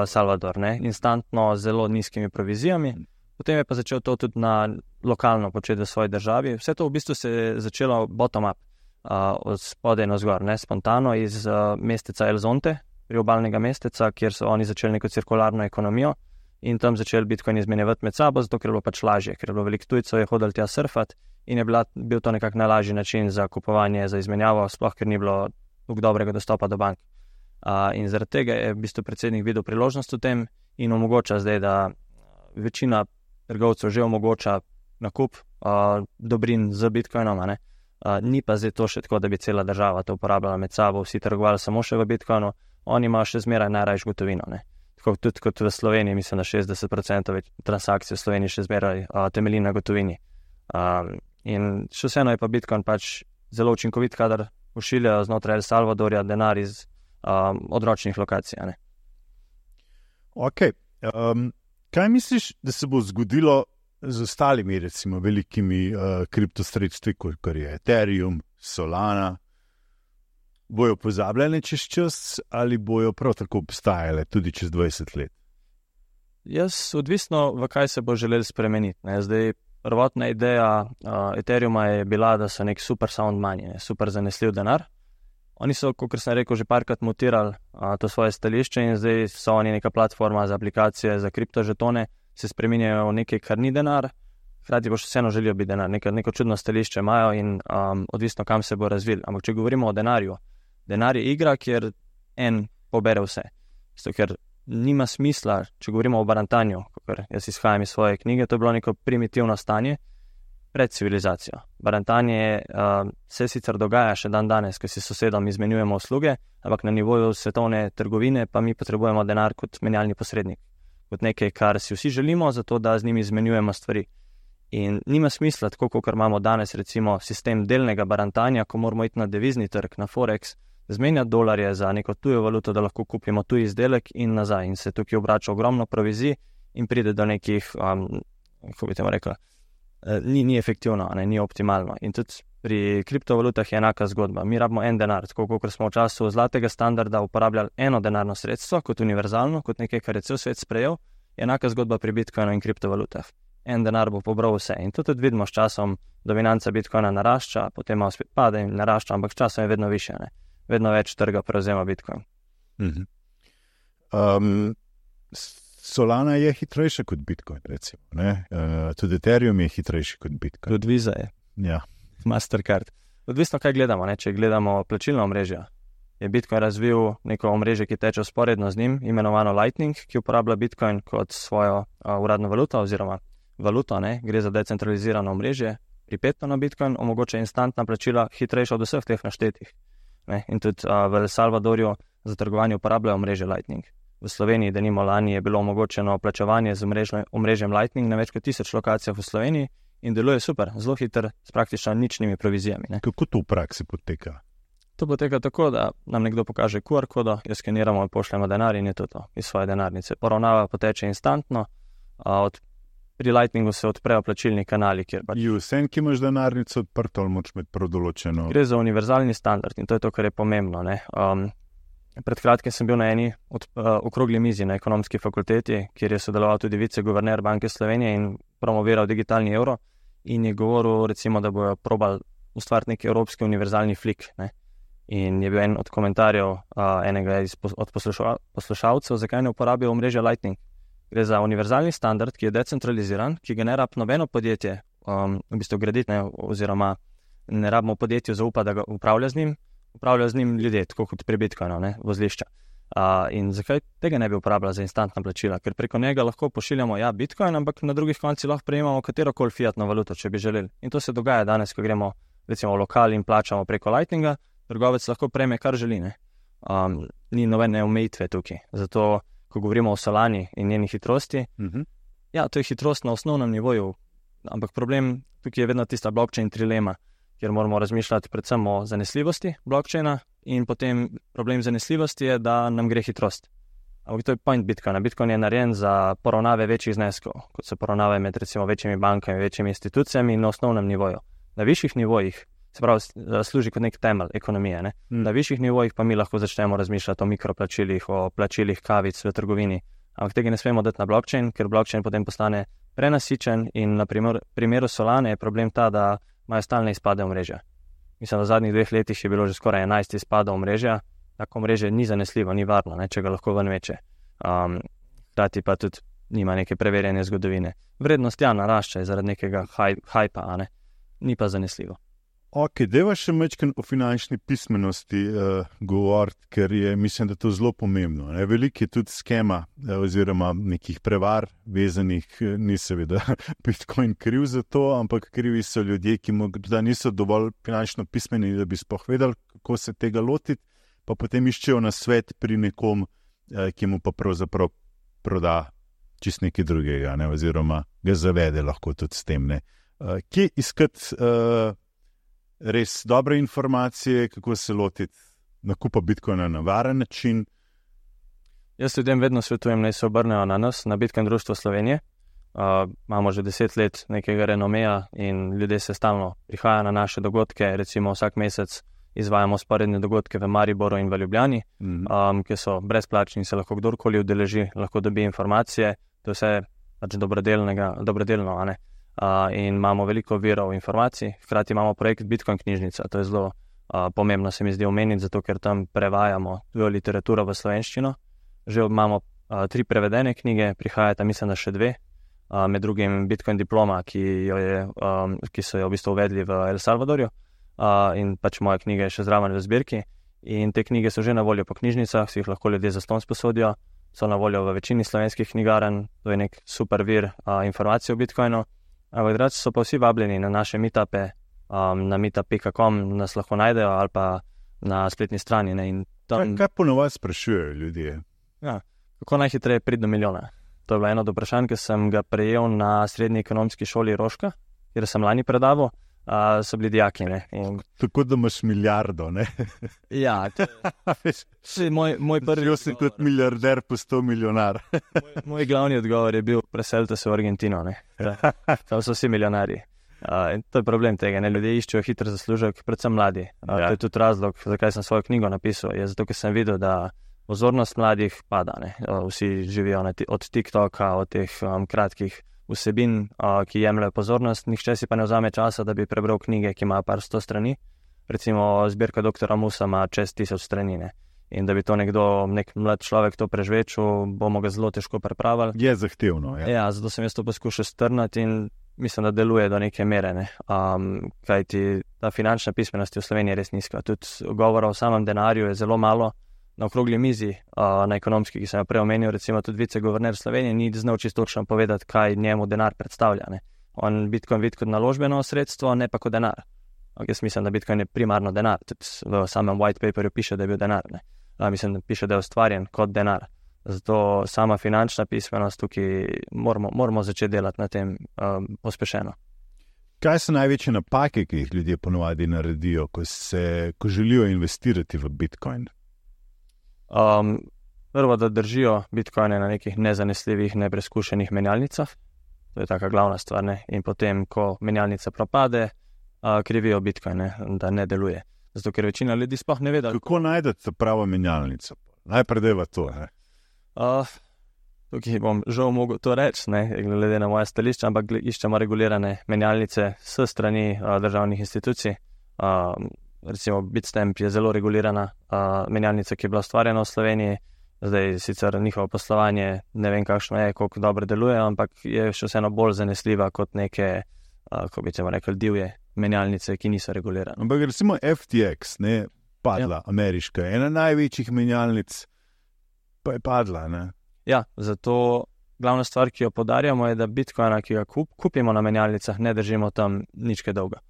Salvador, ne? Instantno z zelo nizkimi provizijami. Potem je pa začel to tudi na lokalno početi v svoji državi. Vse to v bistvu se je začelo bottom-up, uh, od spodaj na zgor, ne? Spontano iz uh, mesteca El Zonte, priobalnega mesteca, kjer so oni začeli neko cirkularno ekonomijo in tam začeli Bitcoin izmenjevati med sabo, zato ker je bilo pač lažje, ker je bilo veliko tujcev, je hodili tja surfati in je bila, bil to nekak najlažji način za kupovanje, za izmenjavo, sploh ker ni bilo tako dobrega dostopa do bank. Uh, in zaradi tega je v bistvu predsednik videl priložnost v tem in omogoča zdaj, da večina trgovcev že omogoča nakup uh, dobrin z Bitcoinom, ne? Uh, ni pa zdaj to še tako, da bi cela država to uporabljala med sabo, vsi trgovali samo še v Bitcoinu, oni imajo še zmeraj najrajš gotovino. Ne? Tako tudi kot v Sloveniji, mislim, da šestdeset procentov transakcij v Sloveniji še zmeraj uh, temelji na gotovini. Um, in še vseeno je pa Bitcoin pač zelo učinkovit, kadar pošiljajo znotraj El Salvadorja denar iz um, odročnih lokacij. Ne? Ok. Um, kaj misliš, da se bo zgodilo z ostalimi, recimo, velikimi uh, kriptosredstvi, kot je Ethereum, Solana? Bojo pozabljene čez čas ali bojo prav tako obstajale tudi čez dvajset let? Jaz, odvisno, v kaj se bo želel spremeniti. Ne? Zdaj, prvotna ideja uh, Ethereuma je bila, da so nek super sound money, ne? Super zanesljiv denar. Oni so, kot sem rekel, že parkrat mutirali uh, to svoje stališče in zdaj so oni neka platforma za aplikacije, za kriptožetone, se spreminjajo v nekaj, kar ni denar, hkrati pa še vseeno želijo biti denar, neko, neko čudno stališče imajo in um, odvisno, kam se bo razvil. Ampak če govorimo o denarju, denar je igra, kjer en pobere vse. Zato, ker nima smisla, če govorimo o barantanju, ker jaz izhajam iz svoje knjige, to je bilo neko primitivno stanje pred civilizacijo. Barantanje uh, se sicer dogaja še dan danes, ko si sosedom izmenjujemo usluge, ampak na nivoju svetovne trgovine pa mi potrebujemo denar kot menjalni posrednik, kot nekaj, kar si vsi želimo, zato da z njimi izmenjujemo stvari. In nima smisla, tako kot imamo danes recimo sistem delnega barantanja, ko moramo iti na devizni trg, na Forex, zmenjati dolarje za neko tujo valuto, da lahko kupimo tuji izdelek in nazaj. In se tukaj obrača ogromno provizij in pride do nekih, um, kako bi temu rekla, ni, ni efektivno, ne, ni optimalno. In tudi pri kriptovalutah je enaka zgodba. Mi rabimo en denar, tako kot smo v času zlatega standarda uporabljali eno denarno sredstvo kot univerzalno, kot nekaj, kar je cel svet sprejel, je enaka zgodba pri Bitcoinu in kriptovalutah. En denar bo pobral vse. In to tudi vidimo s časom, dominanca Bitcoina narašča, potem malo spet pade in narašča, ampak s časom je vedno više, ne. Vedno več trga prevzema Bitcoin. Mm-hmm. Um, Solana je hitrejša kot Bitcoin, recimo. Ne? Uh, tudi Ethereum je hitrejši kot Bitcoin. Tudi Visa je. Ja. Mastercard. Odvisno, kaj gledamo. Ne? Če gledamo plačilno omrežje, je Bitcoin razvil neko omrežje, ki teče sporedno z njim, imenovano Lightning, ki uporablja Bitcoin kot svojo uh, uradno valuto oziroma valuto. Ne? Gre za decentralizirano omrežje, pripeto na Bitcoin, omogoča instantna plačila, hitrejša od vseh teh naštetih. Ne? In tudi uh, v El Salvadorju za trgovanje uporabljajo omrežje Lightning. V Sloveniji, denimo lani, je bilo omogočeno plačevanje z omrežjem Lightning na več kot tisoč lokacijah v Sloveniji in deluje super, zelo hiter, s praktično ničnimi provizijami. Ne? Kako to v praksi poteka? To poteka tako, da nam nekdo pokaže Q R kodo, jo skeniramo in pošljemo denar in je to to iz svoje denarnice. Poravnava poteče instantno, a od pri Lightningu se odprejo plačilni kanali, kjer pač... Vsem, ki imaš denarnico odprto, ali moč imeti prav določeno? Gre za univerzalni standard in to je to, kar je pomembno. Ne? Um, pred kratkim sem bil na eni od, uh, okrogli mizi na ekonomski fakulteti, kjer je sodeloval tudi viceguverner Banke Slovenije in promoviral digitalni evro in je govoril, recimo, da bojo probali ustvariti neki evropski univerzalni flik. Ne? In je bil en od komentarjev uh, enega iz, od posluša, poslušalcev, zakaj ne uporabijo omrežja Lightning. Gre za univerzalni standard, ki je decentraliziran, ki ga ne rab nobeno podjetje um, v bistvu graditi, ne, oziroma ne rabimo podjetju zaupati, da ga upravlja z njim, upravlja z njim ljudje, tako kot pri Bitcoinu, ne, vozlišča. Uh, in zakaj tega ne bi uporabljali za instantna plačila? Ker preko njega lahko pošiljamo ja Bitcoin, ampak na drugih koncih lahko prejemamo katerokoli fiatno valuto, če bi želeli. In to se dogaja danes, ko gremo recimo v lokal in plačamo preko Lightninga, trgovec lahko prejme kar želi. Ne. Um, ni nobene omejitve tukaj. Zato ko govorimo o Solani in njeni hitrosti, uh-huh. ja, to je hitrost na osnovnem nivoju, ampak problem tukaj je vedno tista blockchain trilema. kjer moramo razmišljati predvsem o zanesljivosti blockchaina in potem problem zanesljivosti je, da nam gre hitrost. Ampak to je point Bitcoina. Bitcoin je narejen za poravnave večjih zneskov, kot se poravnave med recimo večjimi bankami, večjimi institucijami na osnovnem nivoju. Na višjih nivojih, se pravi, služi kot nek temelj ekonomije. Ne? Mm. Na višjih nivojih pa mi lahko začnemo razmišljati o mikroplačilih, o plačilih kavic v trgovini. Ampak tega ne smemo dati na blockchain, ker blockchain potem postane prenasičen in na primer, primeru Solane je problem ta, da imajo stalne izpade omrežja. Mislim, da v zadnjih dveh letih je bilo že skoraj enajst izpadov omrežja. Tako omrežje ni zanesljivo, ni varno, ne, če ga lahko ven meče. Um, Hrati pa tudi nima neke preverjene zgodovine. Vrednost ja narašča zaradi nekega hajpa, a ne? Ni pa zanesljivo. Ok, deva še mečken o finančni pismenosti uh, govoriti, ker je, mislim, da to zelo pomembno. Ne? Veliko je tudi skema uh, oziroma nekih prevar vezanih, ni seveda Bitcoin kriv za to, ampak krivi so ljudje, ki morda niso dovolj finančno pismeni, da bi sploh vedeli, kako se tega lotiti, pa potem iščejo na svet pri nekom, uh, ki mu pa pravzaprav proda čist nekaj drugega, ne? Oziroma ga zavede lahko tudi s tem. Ne? Uh, kje iskati uh, res dobre informacije, kako se lotiti nakupa Bitcoina na varen način? Jaz ljudem vedno svetujem, naj se obrnejo na nas, na Bitcoin društvo Slovenije. Uh, imamo že deset let nekega renomeja in ljudje se stalno prihajajo na naše dogodke, recimo vsak mesec izvajamo sporedne dogodke v Mariboru in v Ljubljani, mm-hmm. um, ki so brezplačni in se lahko kdorkoli udeleži, lahko dobi informacije, to je vse pač dobrodelno, a ne? Uh, in imamo veliko virov informacij, hkrati imamo projekt Bitcoin knjižnica, to je zelo uh, pomembno se mi zdi omeniti, zato ker tam prevajamo tujo literaturo v slovenščino. Že imamo uh, tri prevedene knjige, prihajata mislim, da še dve, uh, med drugim Bitcoin diploma, ki, jo je, um, ki so jo v bistvu uvedli v El Salvadorju, uh, in pač moja knjiga je še zraven v zbirki. In te knjige so že na voljo po knjižnicah, si jih lahko ljudje zastonj sposodijo, so na voljo v večini slovenskih knjigarn, to je nek super vir uh, informacij o Bitcoinu. Ampak drugače so pa vsi vabljeni na naše meetupe, um, na meetup pika com nas lahko najdejo ali pa na spletni strani. Ne, in tam... Kaj, kaj ponovadi sprašujejo ljudje? Ja, kako najhitreje priti do milijona? To je bilo eno od vprašanj, ki sem ga prejel na srednji ekonomski šoli Roška, kjer sem lani predaval, uh, so bili dijaki. Ne, in... Tako da imaš milijardo, ne? Ja, to je moj, moj prvi... Žel si kot milijarder, postal milijonar. moj, moj glavni odgovor je bil, preselite se v Argentino, ne? Tam so vsi milijonarji. Uh, in to je problem tega, ne? Ljudje iščejo hiter zaslužek, predvsem mladi. Uh, ja. To je tudi razlog, zakaj sem svojo knjigo napisal, je zato, ker sem videl, da pozornost mladih pada, ne? Uh, vsi živijo na od TikToka, od teh um, kratkih vsebin, uh, ki jemljajo pozornost, nihče si pa ne vzame časa, da bi prebral knjige, ki imajo par sto strani. Recimo zbirka doktora Musa ima čez tisoč strani, ne? In da bi to nekdo, nek mlad človek to prežvečil, bomo ga zelo težko pripravili. Je zahtevno, ja. Ja, zato sem jaz to poskušal strnati in mislim, da deluje do neke mere, ne. Um, kajti ta finančna pismenost v Sloveniji je res nizka. Tudi govora o samem denarju je zelo malo. Na okrogli mizi, uh, na ekonomski, ki sem jo prej omenil, recimo tudi viceguverner Slovenije, ni znal čisto točno povedati, kaj njemu denar predstavlja, ne. On Bitcoin vidi kot naložbeno sredstvo, ne pa kot denar. Jaz mislim, da Bitcoin je primarno denar. Tudi v samem white paperju piše, da je bil denar, ne. Uh, mislim, da piše, da je ustvarjen kot denar. Zato sama finančna pismenost tukaj moramo, moramo začeti delati na tem um, pospešeno. Kaj so največje napake, ki jih ljudje ponovadi naredijo, ko, se, ko želijo investirati v Bitcoin? Um, prvo, da držijo Bitcoine na nekih nezanesljivih, nepreskušenih menjalnicah. To je taka glavna stvar, ne? In potem, ko menjalnica propade, uh, krivijo Bitcoine, da ne deluje. Zato, ker večina ljudi sploh ne ve, da... Kako najdete pravo menjalnico? Najprej deva to, ne? Uh, tukaj bom žal mogel to reči, ne, glede na moje stališče, ampak iščemo regulirane menjalnice s strani uh, državnih institucij. Uh, recimo Bitstamp je zelo regulirana uh, menjalnica, ki je bila ustvarjena v Sloveniji. Zdaj sicer njihovo poslovanje ne vem kakšno je, koliko dobro deluje, ampak je še vseeno bolj zanesljiva kot neke, uh, kako bi temu rekli, divje menjalnice, ki niso regulirane. Ampak recimo F T X, ne, padla, ja. Ameriška, ena največjih menjalnic, pa je padla, ne? Ja, zato glavna stvar, ki jo podarjamo, je, da Bitcoina, ki ga kup, kupimo na menjalnicah, ne držimo tam nič kaj dolga.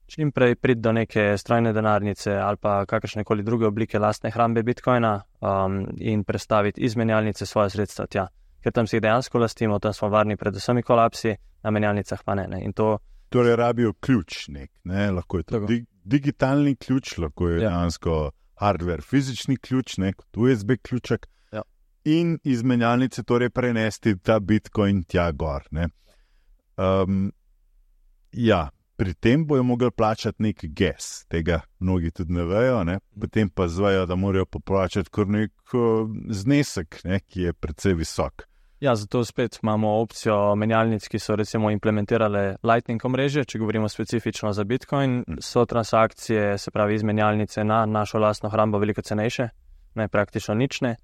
Čim prej priti do neke strojne denarnice ali pa kakršnekoli druge oblike lastne hrambe Bitcoina um, in prestaviti iz menjalnice svoje sredstva tja. Ker tam si jih dejansko lastimo, tam smo varni pred vsemi kolapsi, na menjalnicah pa ne, ne. In to Torej rabijo ključ nek, ne? Lahko je to di- digitalni ključ, lahko je Ja. dejansko hardware, fizični ključ, ne? Kot U S B ključek. Ja. In iz menjalnice torej prenesti ta Bitcoin tja gor, ne? Um, ja, pri tem bojo mogli plačati nek gas, tega mnogi tudi ne vejo, ne? Potem pa zvejo, da morajo poplačati kar nek uh, znesek, ne? Ki je precej visok. Ja, zato spet imamo opcijo menjalnic, ki so recimo implementirale Lightning omrežje, če govorimo specifično za Bitcoin, so transakcije, se pravi iz menjalnice na našo lastno hrambo veliko cenejše, ne praktično nične,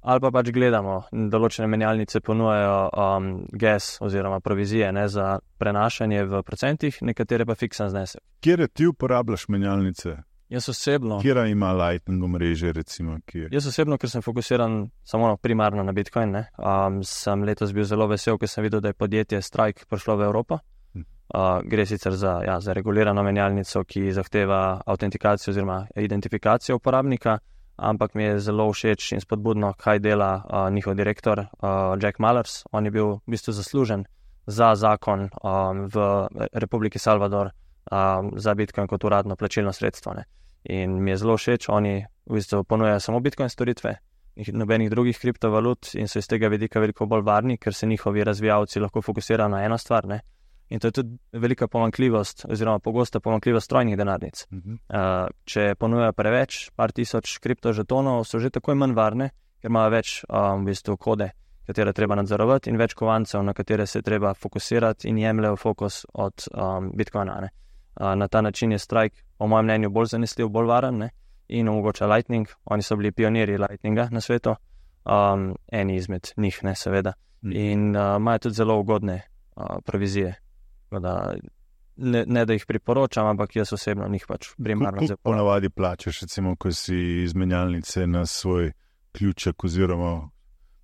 ali pa pač gledamo, določene menjalnice ponujajo um, gas oziroma provizije, ne, za prenašanje v procentih, nekatere pa fiksen znesek. Kjer ti uporabljaš menjalnice? Jaz osebno, Kjera ima Lightning omrežje, recimo, kjer? jaz osebno, ker sem fokusiran samo primarno na Bitcoin, ne, um, sem letos bil zelo vesel, ker sem videl, da je podjetje Strike prišlo v Evropo. Hm. Uh, gre sicer za, ja, za regulirano menjalnico, ki zahteva autentikacijo oziroma identifikacijo uporabnika, ampak mi je zelo všeč in spodbudno, kaj dela uh, njihov direktor uh, Jack Mallers. On je bil v bistvu zaslužen za zakon um, v Republiki Salvador um, za Bitcoin kot uradno plačilno sredstvo. Ne. In mi je zelo všeč, oni v bistvu ponujajo samo Bitcoin storitve, nobenih drugih kriptovalut in so iz tega vidika veliko bolj varni, ker se njihovi razvijalci lahko fokusirajo na eno stvar. Ne. In to je tudi velika pomanjkljivost oziroma pogosta pomanjkljivost strojnih denarnic. Mhm. Uh, če ponujajo preveč, par tisoč kriptožetonov, so že takoj manj varne, ker imajo več um, v bistvu kode, katere treba nadzorovati in več kovancev, na katere se treba fokusirati in jemljajo fokus od um, Bitcoina. Ne. Uh, na ta način je Strike, po mojem mnenju, bolj zanesljiv, bolj varen, ne, in omogoča Lightning. Oni so bili pionirji Lightninga na svetu, um, eni izmed njih, ne, seveda. Mhm. In uh, imajo tudi zelo ugodne uh, provizije. Da, ne, ne da jih priporočam, ampak jaz osebno njih pač primarno Koliko ponavadi plačaš, recimo, ko si iz menjalnice na svoj ključek oziroma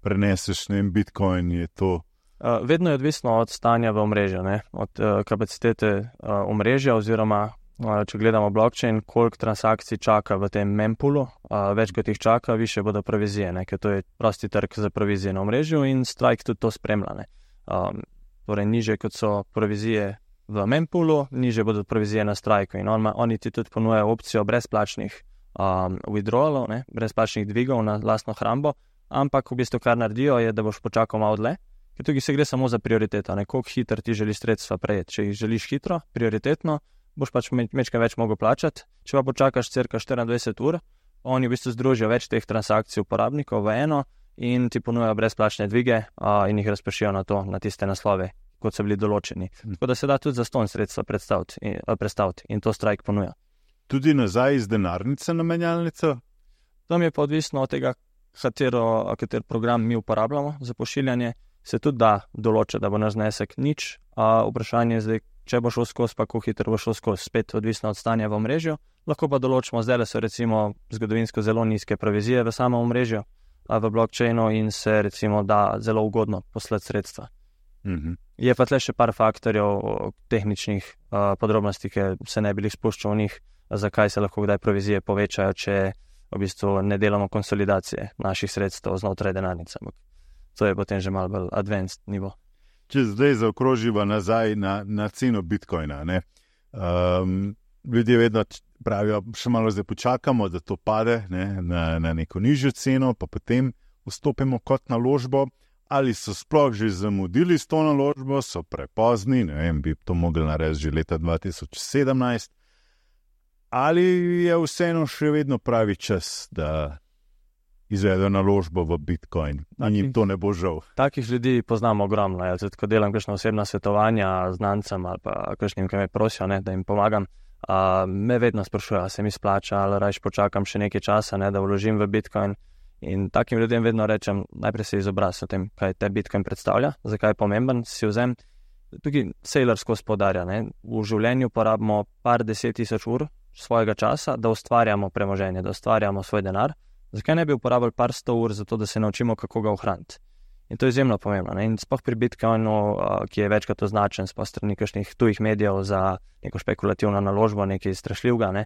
preneseš ne, Bitcoin, je to? Uh, vedno je odvisno od stanja v omrežju, ne? Od uh, kapacitete uh, omrežja oziroma, uh, če gledamo blockchain, koliko transakcij čaka v tem mempoolu, uh, več kot jih čaka, više bodo provizije, ne? Ker to je prosti trg za provizije na omrežju in Strike tudi to spremlja. Ne? Um, torej niže kot so provizije v mempoolu, niže bodo provizije na Strikeu in on, oni ti tudi ponujajo opcijo brezplačnih um, withdrawalov, ne? Brezplačnih dvigov na lastno hrambo, ampak v bistvu kar naredijo je, da boš počakal malo dlje, ker tukaj se gre samo za prioriteto, ne? Koliko hitro ti želiš sredstva prejeti. Če jih želiš hitro, prioritetno, boš pač mečkaj več mogel plačati, če pa počakaš cirka štiriindvajset ur, oni v bistvu združijo več teh transakcij uporabnikov v eno in ti ponujajo brezplačne dvige uh, in jih razpršijo na to, na tiste naslove, kot so bili določeni. Hmm. Tako da se da tudi zastonj sredstva predstaviti in, uh, predstaviti in to Strike ponuja. Tudi nazaj iz denarnice na menjalnico? Tam je pa odvisno od tega, katero, kater program mi uporabljamo za pošiljanje, se tudi da določa, da bo naš znesek nič, a vprašanje je zdaj, če bo šel skozi, pa kako hitro bo šel skozi, spet odvisno od stanja v omrežju. Lahko pa določimo, zdaj so recimo zgodovinsko zelo nizke provizije v samem omrežju, v blockchainu in se recimo da zelo ugodno poslati sredstva. Mhm. Je pa tle še par faktorjev tehničnih uh, podrobnosti, ki se ne bi jih spuščal v njih, zakaj se lahko kdaj provizije povečajo, če v bistvu ne delamo konsolidacije naših sredstev znotraj denarnice. To je potem že malo bolj advanced nivo. Če zdaj zaokroživa nazaj na, na ceno Bitcoina, ne? Um, ljudje vedno pravijo, še malo zdaj počakamo, da to pade, ne? na, na neko nižjo ceno, pa potem vstopimo kot naložbo. Ali so sploh že zamudili s to naložbo, so prepozni, ne vem, bi to mogli narediti že leta dva tisoč sedemnajst, ali je vseeno še vedno pravi čas, da izvedejo naložbo v Bitcoin, a njim to ne bo žal. Takih ljudi poznamo ogromno, jaz tudi, ko delam kakšna osebna svetovanja znancem ali pa kakšnim, ki me prosijo, ne, da jim pomagam, uh, me vedno sprašujejo, se mi splača ali rajš počakam še nekaj časa, ne, da vložim v Bitcoin. In takim ljudem vedno rečem, najprej se izobrazi o tem, kaj te Bitcoin predstavlja, zakaj je pomemben, si vzem. Tukaj Saylor skozi poudarja, ne, v življenju porabimo par deset tisoč ur svojega časa, da ustvarjamo premoženje, da ustvarjamo svoj denar. Zakaj ne bi uporabili par sto ur za to, da se naučimo, kako ga ohraniti? In to je izjemno pomembno. Ne? In sploh pri Bitcoinu, ki je večkrat označen sploh strani kakšnih tujih medijev za neko špekulativno naložbo, nekaj strašljivega, ne?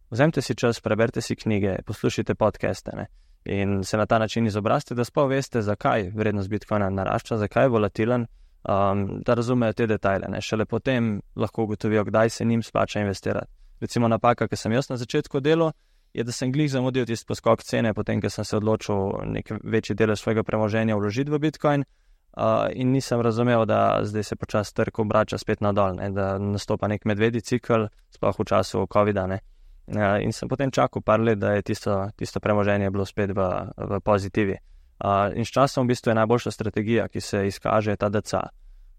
Vzemite si čas, preberite si knjige, poslušajte podcaste, ne? In se na ta način izobrazite, da sploh veste, zakaj vrednost Bitcoina narašča, zakaj je volatilen, um, da razumejo te detajle. Ne. Šele potem lahko ugotovijo, kdaj se njim splača investirati. Recimo napaka, ki sem jaz na začetku delal, je, da sem glih zamudil tisti poskok cene, potem, ko sem se odločil nek večji delež svojega premoženja vložiti v Bitcoin uh, in nisem razumel, da zdaj se počasi trg obrača spet nadol, ne, da nastopa nek medvedji cikl, sploh v času covida, ne. Uh, in sem potem čakal par let, da je tisto, tisto premoženje bilo spet v, v pozitivi. Uh, in s časom v bistvu je najboljša strategija, ki se izkaže, ta D C A.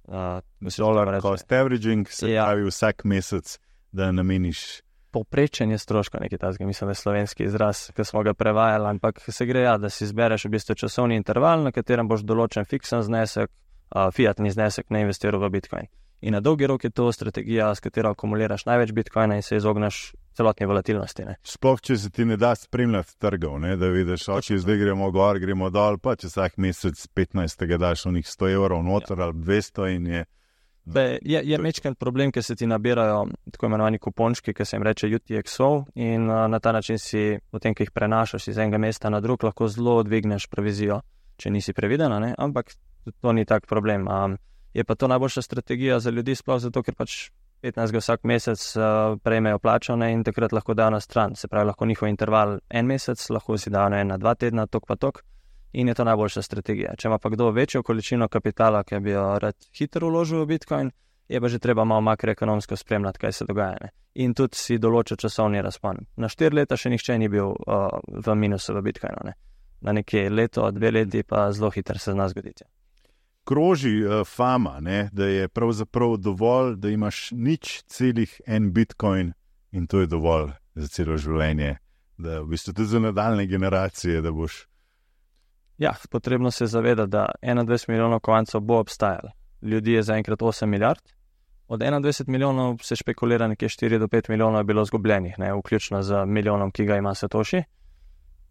Uh, Dollar cost averaging, se Ja. pravi vsak mesec, da nameniš. Povprečen je stroška, nekaj takega, mislim, da je slovenski izraz, ki smo ga prevajali, ampak se gre, ja, da si izbereš v bistvu časovni interval, na katerem boš določen fiksen znesek, uh, fiatni znesek, ne investiral v Bitcoin. In na dolgi rok je to strategija, s katero akumuliraš največ Bitcoina in se izogneš celotni volatilnosti. Ne. Sploh, če se ti ne da spremljati trgov, ne, da vidiš, oči, zdaj gremo gor, gremo dol, pa če vsak mesec petnajstega daš onih sto evrov noter ja. ali dvesto in je. Be, je je mečken problem, ker se ti nabirajo tako imenovani kupončki, ki se jim reče U T X O in uh, na ta način si, potem, ko jih prenašaš iz enega mesta na drug, lahko zelo dvigneš provizijo, če nisi previdena, ne, ampak to ni tak problem. Um, je pa to najboljša strategija za ljudi, sploh zato, ker pač petnajstega vsak mesec uh, prejmejo plačane in takrat lahko dajo na stran. Se pravi, lahko njihov interval en mesec, lahko si dajo na ena, dva tedna, tok pa tok in je to najboljša strategija. Če ima pa kdo večjo količino kapitala, ki bi jo rad hitro vložil v Bitcoin, je pa že treba malo makroekonomsko spremljati, kaj se dogaja. Ne. In tudi si določa časovni razpon. Na štiri leta še nihče ni bil uh, v minusu v Bitcoinu. Ne. Na nekje leto, dve leti pa zelo hitro se zna zgoditi. Kroži uh, fama, ne, da je pravzaprav dovolj, da imaš nič celih en Bitcoin in to je dovolj za celo življenje, da v bistvu tudi za nadaljne generacije, da boš. Ja, potrebno se zavedati, da enaindvajset milijonov kovancev bo obstajalo. Ljudi je zaenkrat osem milijard, od enaindvajset milijonov se špekulira, nekje štiri do pet milijonov je bilo zgubljenih, ne, vključno z milijonom, ki ga ima Satoshi.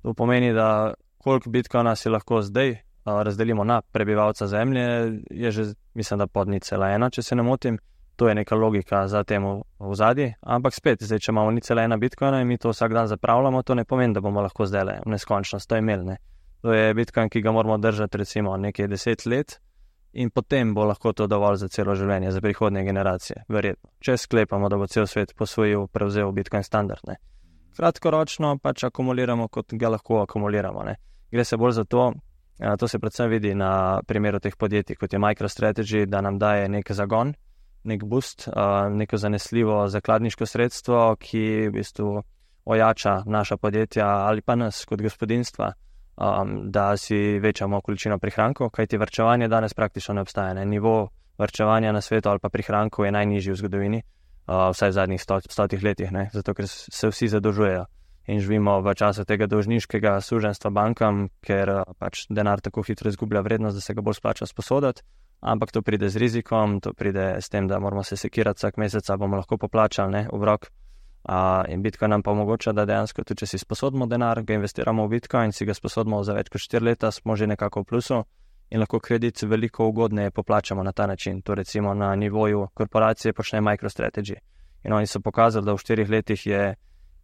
To pomeni, da koliko Bitcoina si lahko zdaj razdelimo na prebivalca zemlje, je že, mislim, da pod nič cela ena, če se ne motim. To je neka logika za temu v zadnji, ampak spet, zdaj, če imamo nič cela ena Bitcoina in mi to vsak dan zapravljamo, to ne pomeni, da bomo lahko zdaj le v neskončnost to imeli. Ne. To je Bitcoin, ki ga moramo držati recimo nekaj deset let in potem bo lahko to dovolj za celo življenje, za prihodnje generacije, verjetno. Če sklepamo, da bo cel svet posvojil, prevzel Bitcoin standard. Ne. Kratkoročno pač akumuliramo, kot ga lahko akumuliramo. Ne. Gre se bolj za to, to se predvsem vidi na primeru teh podjetij, kot je MicroStrategy, da nam daje nek zagon, nek boost, neko zanesljivo zakladniško sredstvo, ki v bistvu ojača naša podjetja ali pa nas kot gospodinstva, da si večamo količino prihrankov, kajti varčevanje danes praktično ne obstaja. Ne. Nivo varčevanja na svetu ali pa prihrankov je najnižji v zgodovini, vsaj v zadnjih sto, stotih letih, ne. Zato ker se vsi zadolžujejo. In živimo v času tega dolžniškega suženstva bankam, ker pač denar tako hitro izgublja vrednost, da se ga bolj splača sposoditi, ampak to pride z rizikom, to pride s tem, da moramo se sekirati vsak mesec, bomo lahko poplačali, ne, obrok. Uh, in Bitcoin nam pa omogoča, da dejansko tudi, če si sposodimo denar, ga investiramo v Bitcoin, si ga sposodimo za več kot štiri leta, smo že nekako v plusu in lahko kredit veliko ugodneje poplačamo na ta način. To recimo na nivoju korporacije počne MicroStrategy. In oni so pokazali, da v štirih letih je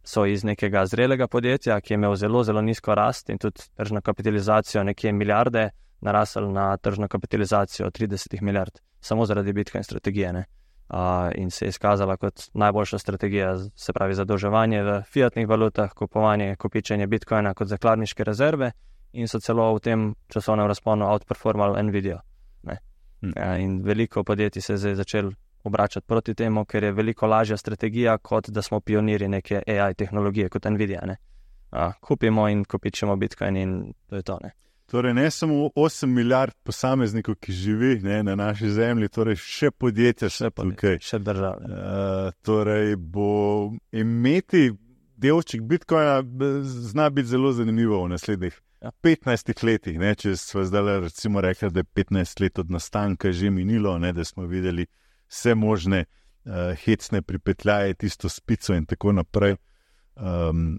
so iz nekega zrelega podjetja, ki je imel zelo, zelo nizko rast in tudi tržno kapitalizacijo nekje milijarde, narasel na tržno kapitalizacijo trideset milijard, samo zaradi Bitcoin strategije. Ne? Uh, in se je izkazala kot najboljša strategija, se pravi zadolževanje v fiatnih valutah, kupovanje, kopičenje Bitcoina kot zakladniške rezerve in so celo v tem časovnem razponu outperformali Nvidia. Ne? Hmm. Uh, in veliko podjetij se je zdaj začelo obračati proti temu, ker je veliko lažja strategija, kot da smo pionirji neke A I tehnologije kot Nvidia. Ne? Uh, kupimo in kopičemo Bitcoin in to je to. Ne? Torej ne samo osem milijard posameznikov, ki živi ne, na naši zemlji, torej še podjetja še tukaj. Še države. Uh, torej bo imeti delček Bitcoina zna biti zelo zanimivo v naslednjih ja. petnajstih letih. Ne, če smo zdaj recimo rekli, da je petnajst let od nastanka že minilo, ne, da smo videli vse možne uh, hecne pripetljaje, tisto spico in tako naprej. Um,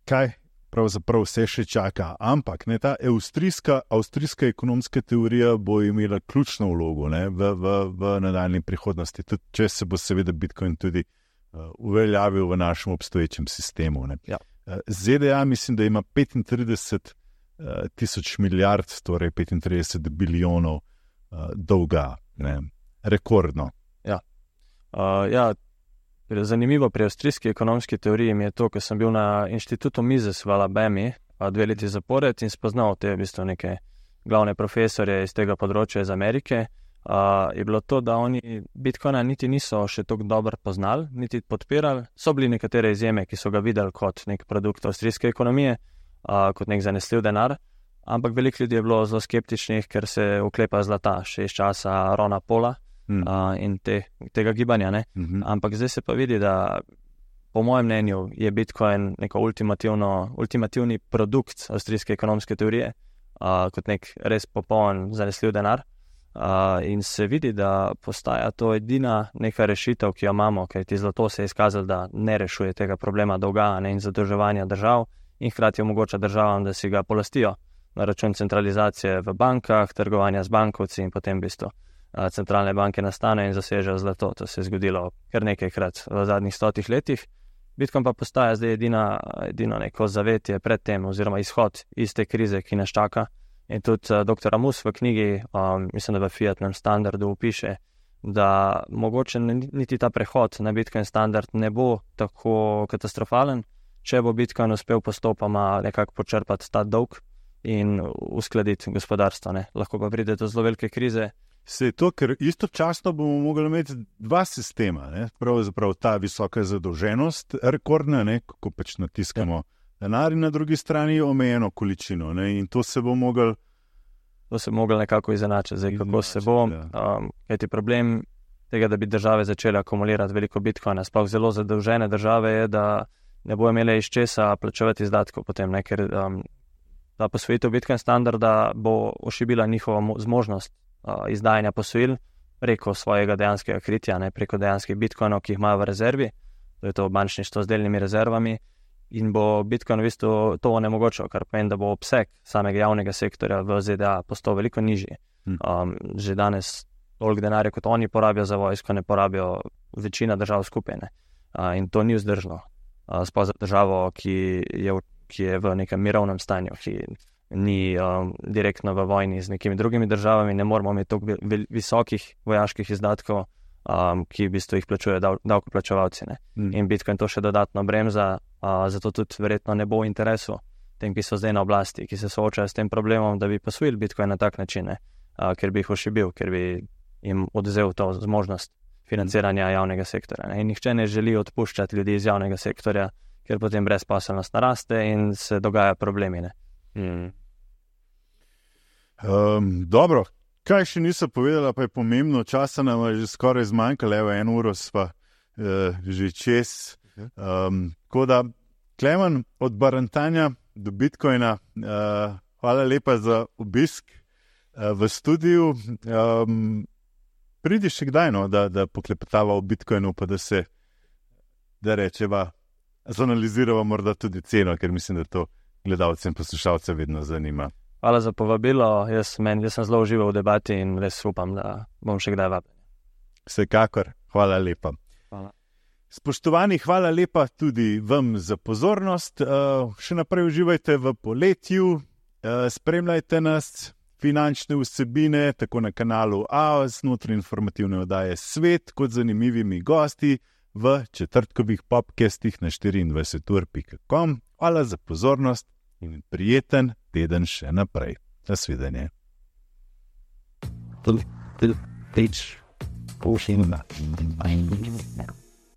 kaj? Pravzaprav vse še čaka, ampak ne, ta avstrijska, avstrijska ekonomska teorija bo imela ključno vlogo ne, v, v, v nadaljni prihodnosti, tudi če se bo seveda Bitcoin tudi uh, uveljavil v našem obstoječem sistemu. Ne. Ja. Uh, Z D A mislim, da ima petintrideset uh, tisoč milijard, torej petintrideset bilijonov uh, dolga. Ne, rekordno. Ja. Uh, ja, zanimivo pri avstrijski ekonomski teoriji mi je to, ker sem bil na inštitutu Mises v Alabami dve leti zapored in spoznal te v bistvu neke glavne profesorje iz tega področja iz Amerike. Uh, je bilo to, da oni Bitcoina niti niso še tako dobro poznali, niti podpirali. So bili nekatere izjeme, ki so ga videli kot nek produkt avstrijske ekonomije, uh, kot nek zanesljiv denar, ampak veliko ljudi je bilo zelo skeptičnih, ker se uklepa zlata še iz časa Rona Paula mm. uh, in te, tega gibanja. Ne? Mm-hmm. Ampak zdaj se pa vidi, da po mojem mnenju je Bitcoin neko ultimativni produkt avstrijske ekonomske teorije, uh, kot nek res popoln zanesljiv denar. Uh, in se vidi, da postaja to edina neka rešitev, ki jo imamo, ker ti zlato se je izkazalo, da ne rešuje tega problema dolga ne, in zadolževanja držav in hkrati omogoča državam, da si ga polastijo na račun centralizacije v bankah, trgovanja z bankovci in potem v bistvu uh, centralne banke nastanejo in zasežejo zlato. To se je zgodilo kar nekajkrat v zadnjih stotih letih. Bitcoin pa postaja zdaj edina, edino neko zavetje pred tem oziroma izhod iz te krize, ki nas čaka. In tudi uh, doktor Amus v knjigi, um, mislim, da v Fiatnem standardu upiše, da mogoče niti ta prehod na Bitcoin standard ne bo tako katastrofalen, če bo Bitcoin uspel postopoma nekako počrpati ta dolg in uskladiti gospodarstvo. Ne. Lahko pa pride do zelo velike krize. Se je to, ker istočasno bomo mogli imeti dva sistema, ne? Pravzaprav ta visoka zadolženost, rekordna, ne? Kako pač natiskamo ja. denar in na drugi strani omejeno količino, ne? In to se bo mogel... To se bo mogel nekako izenačiti. Zdaj, kako se bo, ja. um, kajti problem tega, da bi države začele akumulirati veliko bitcoina, sploh zelo zadolžene države, je, da ne bo imele iz česa plačevati izdatkov potem, ne? Ker um, ta posvojitev Bitcoin standarda bo ošibila njihovo zmožnost uh, izdajanja posojil preko svojega dejanskega kritja, ne? Preko dejanskih bitcoinov, ki jih imajo v rezervi, to je to bančništvo z delnimi rezervami, in bo Bitcoin v bistvu to onemogočil, kar pomeni, da bo obseg samega javnega sektorja v Z D A postal veliko nižji. Um, že danes toliko denarja, kot oni porabijo za vojsko, ne porabijo večina držav skupaj. Uh, in to ni vzdržno. Uh, sploh za državo, ki je, ki je v nekem mirovnem stanju, ki ni um, direktno v vojni z nekimi drugimi državami, ne moramo imeti toliko visokih vojaških izdatkov, um, ki v bistvu jih plačujejo dav, davkoplačevalci. Mm. In Bitcoin to še dodatno bremza. Uh, zato tudi verjetno ne bo v interesu tem, ki so zdaj na oblasti, ki se soočajo s tem problemom, da bi posvojili Bitcoin na tak način, uh, ker bi jih ošibil, ker bi jim odvzel to zmožnost financiranja javnega sektorja. Ne? In nihče ne želi odpuščati ljudi iz javnega sektorja, ker potem brezposelnost naraste in se dogajajo problemi. Hmm. Um, dobro, kaj še niso povedala, pa je pomembno, časa nam je že skoraj zmanjkalo, evo eno uro sva uh, že čez. Um, tako da, Klemen, od barantanja do Bitcoina, uh, hvala lepa za obisk uh, v studiu. Um, pridi še kdaj, no, da, da poklepetava o Bitcoinu, pa da se, da rečeva, zanalizirava morda tudi ceno, ker mislim, da to gledalce in poslušalce vedno zanima. Hvala za povabilo, jaz, men, jaz sem zelo užival v debati in res upam, da bom še kdaj vabljen. Vsekakor, hvala lepa. Hvala. Spoštovani, hvala lepa tudi vam za pozornost. Uh, še naprej uživajte v poletju, uh, spremljajte nas, finančne vsebine, tako na kanalu A O S, znotraj informativne oddaje Svet, kot zanimivimi gosti v četrtkovih popkastih na štiriindvajset ur pika com. Hvala za pozornost in prijeten teden še naprej. Nasvidenje. Page.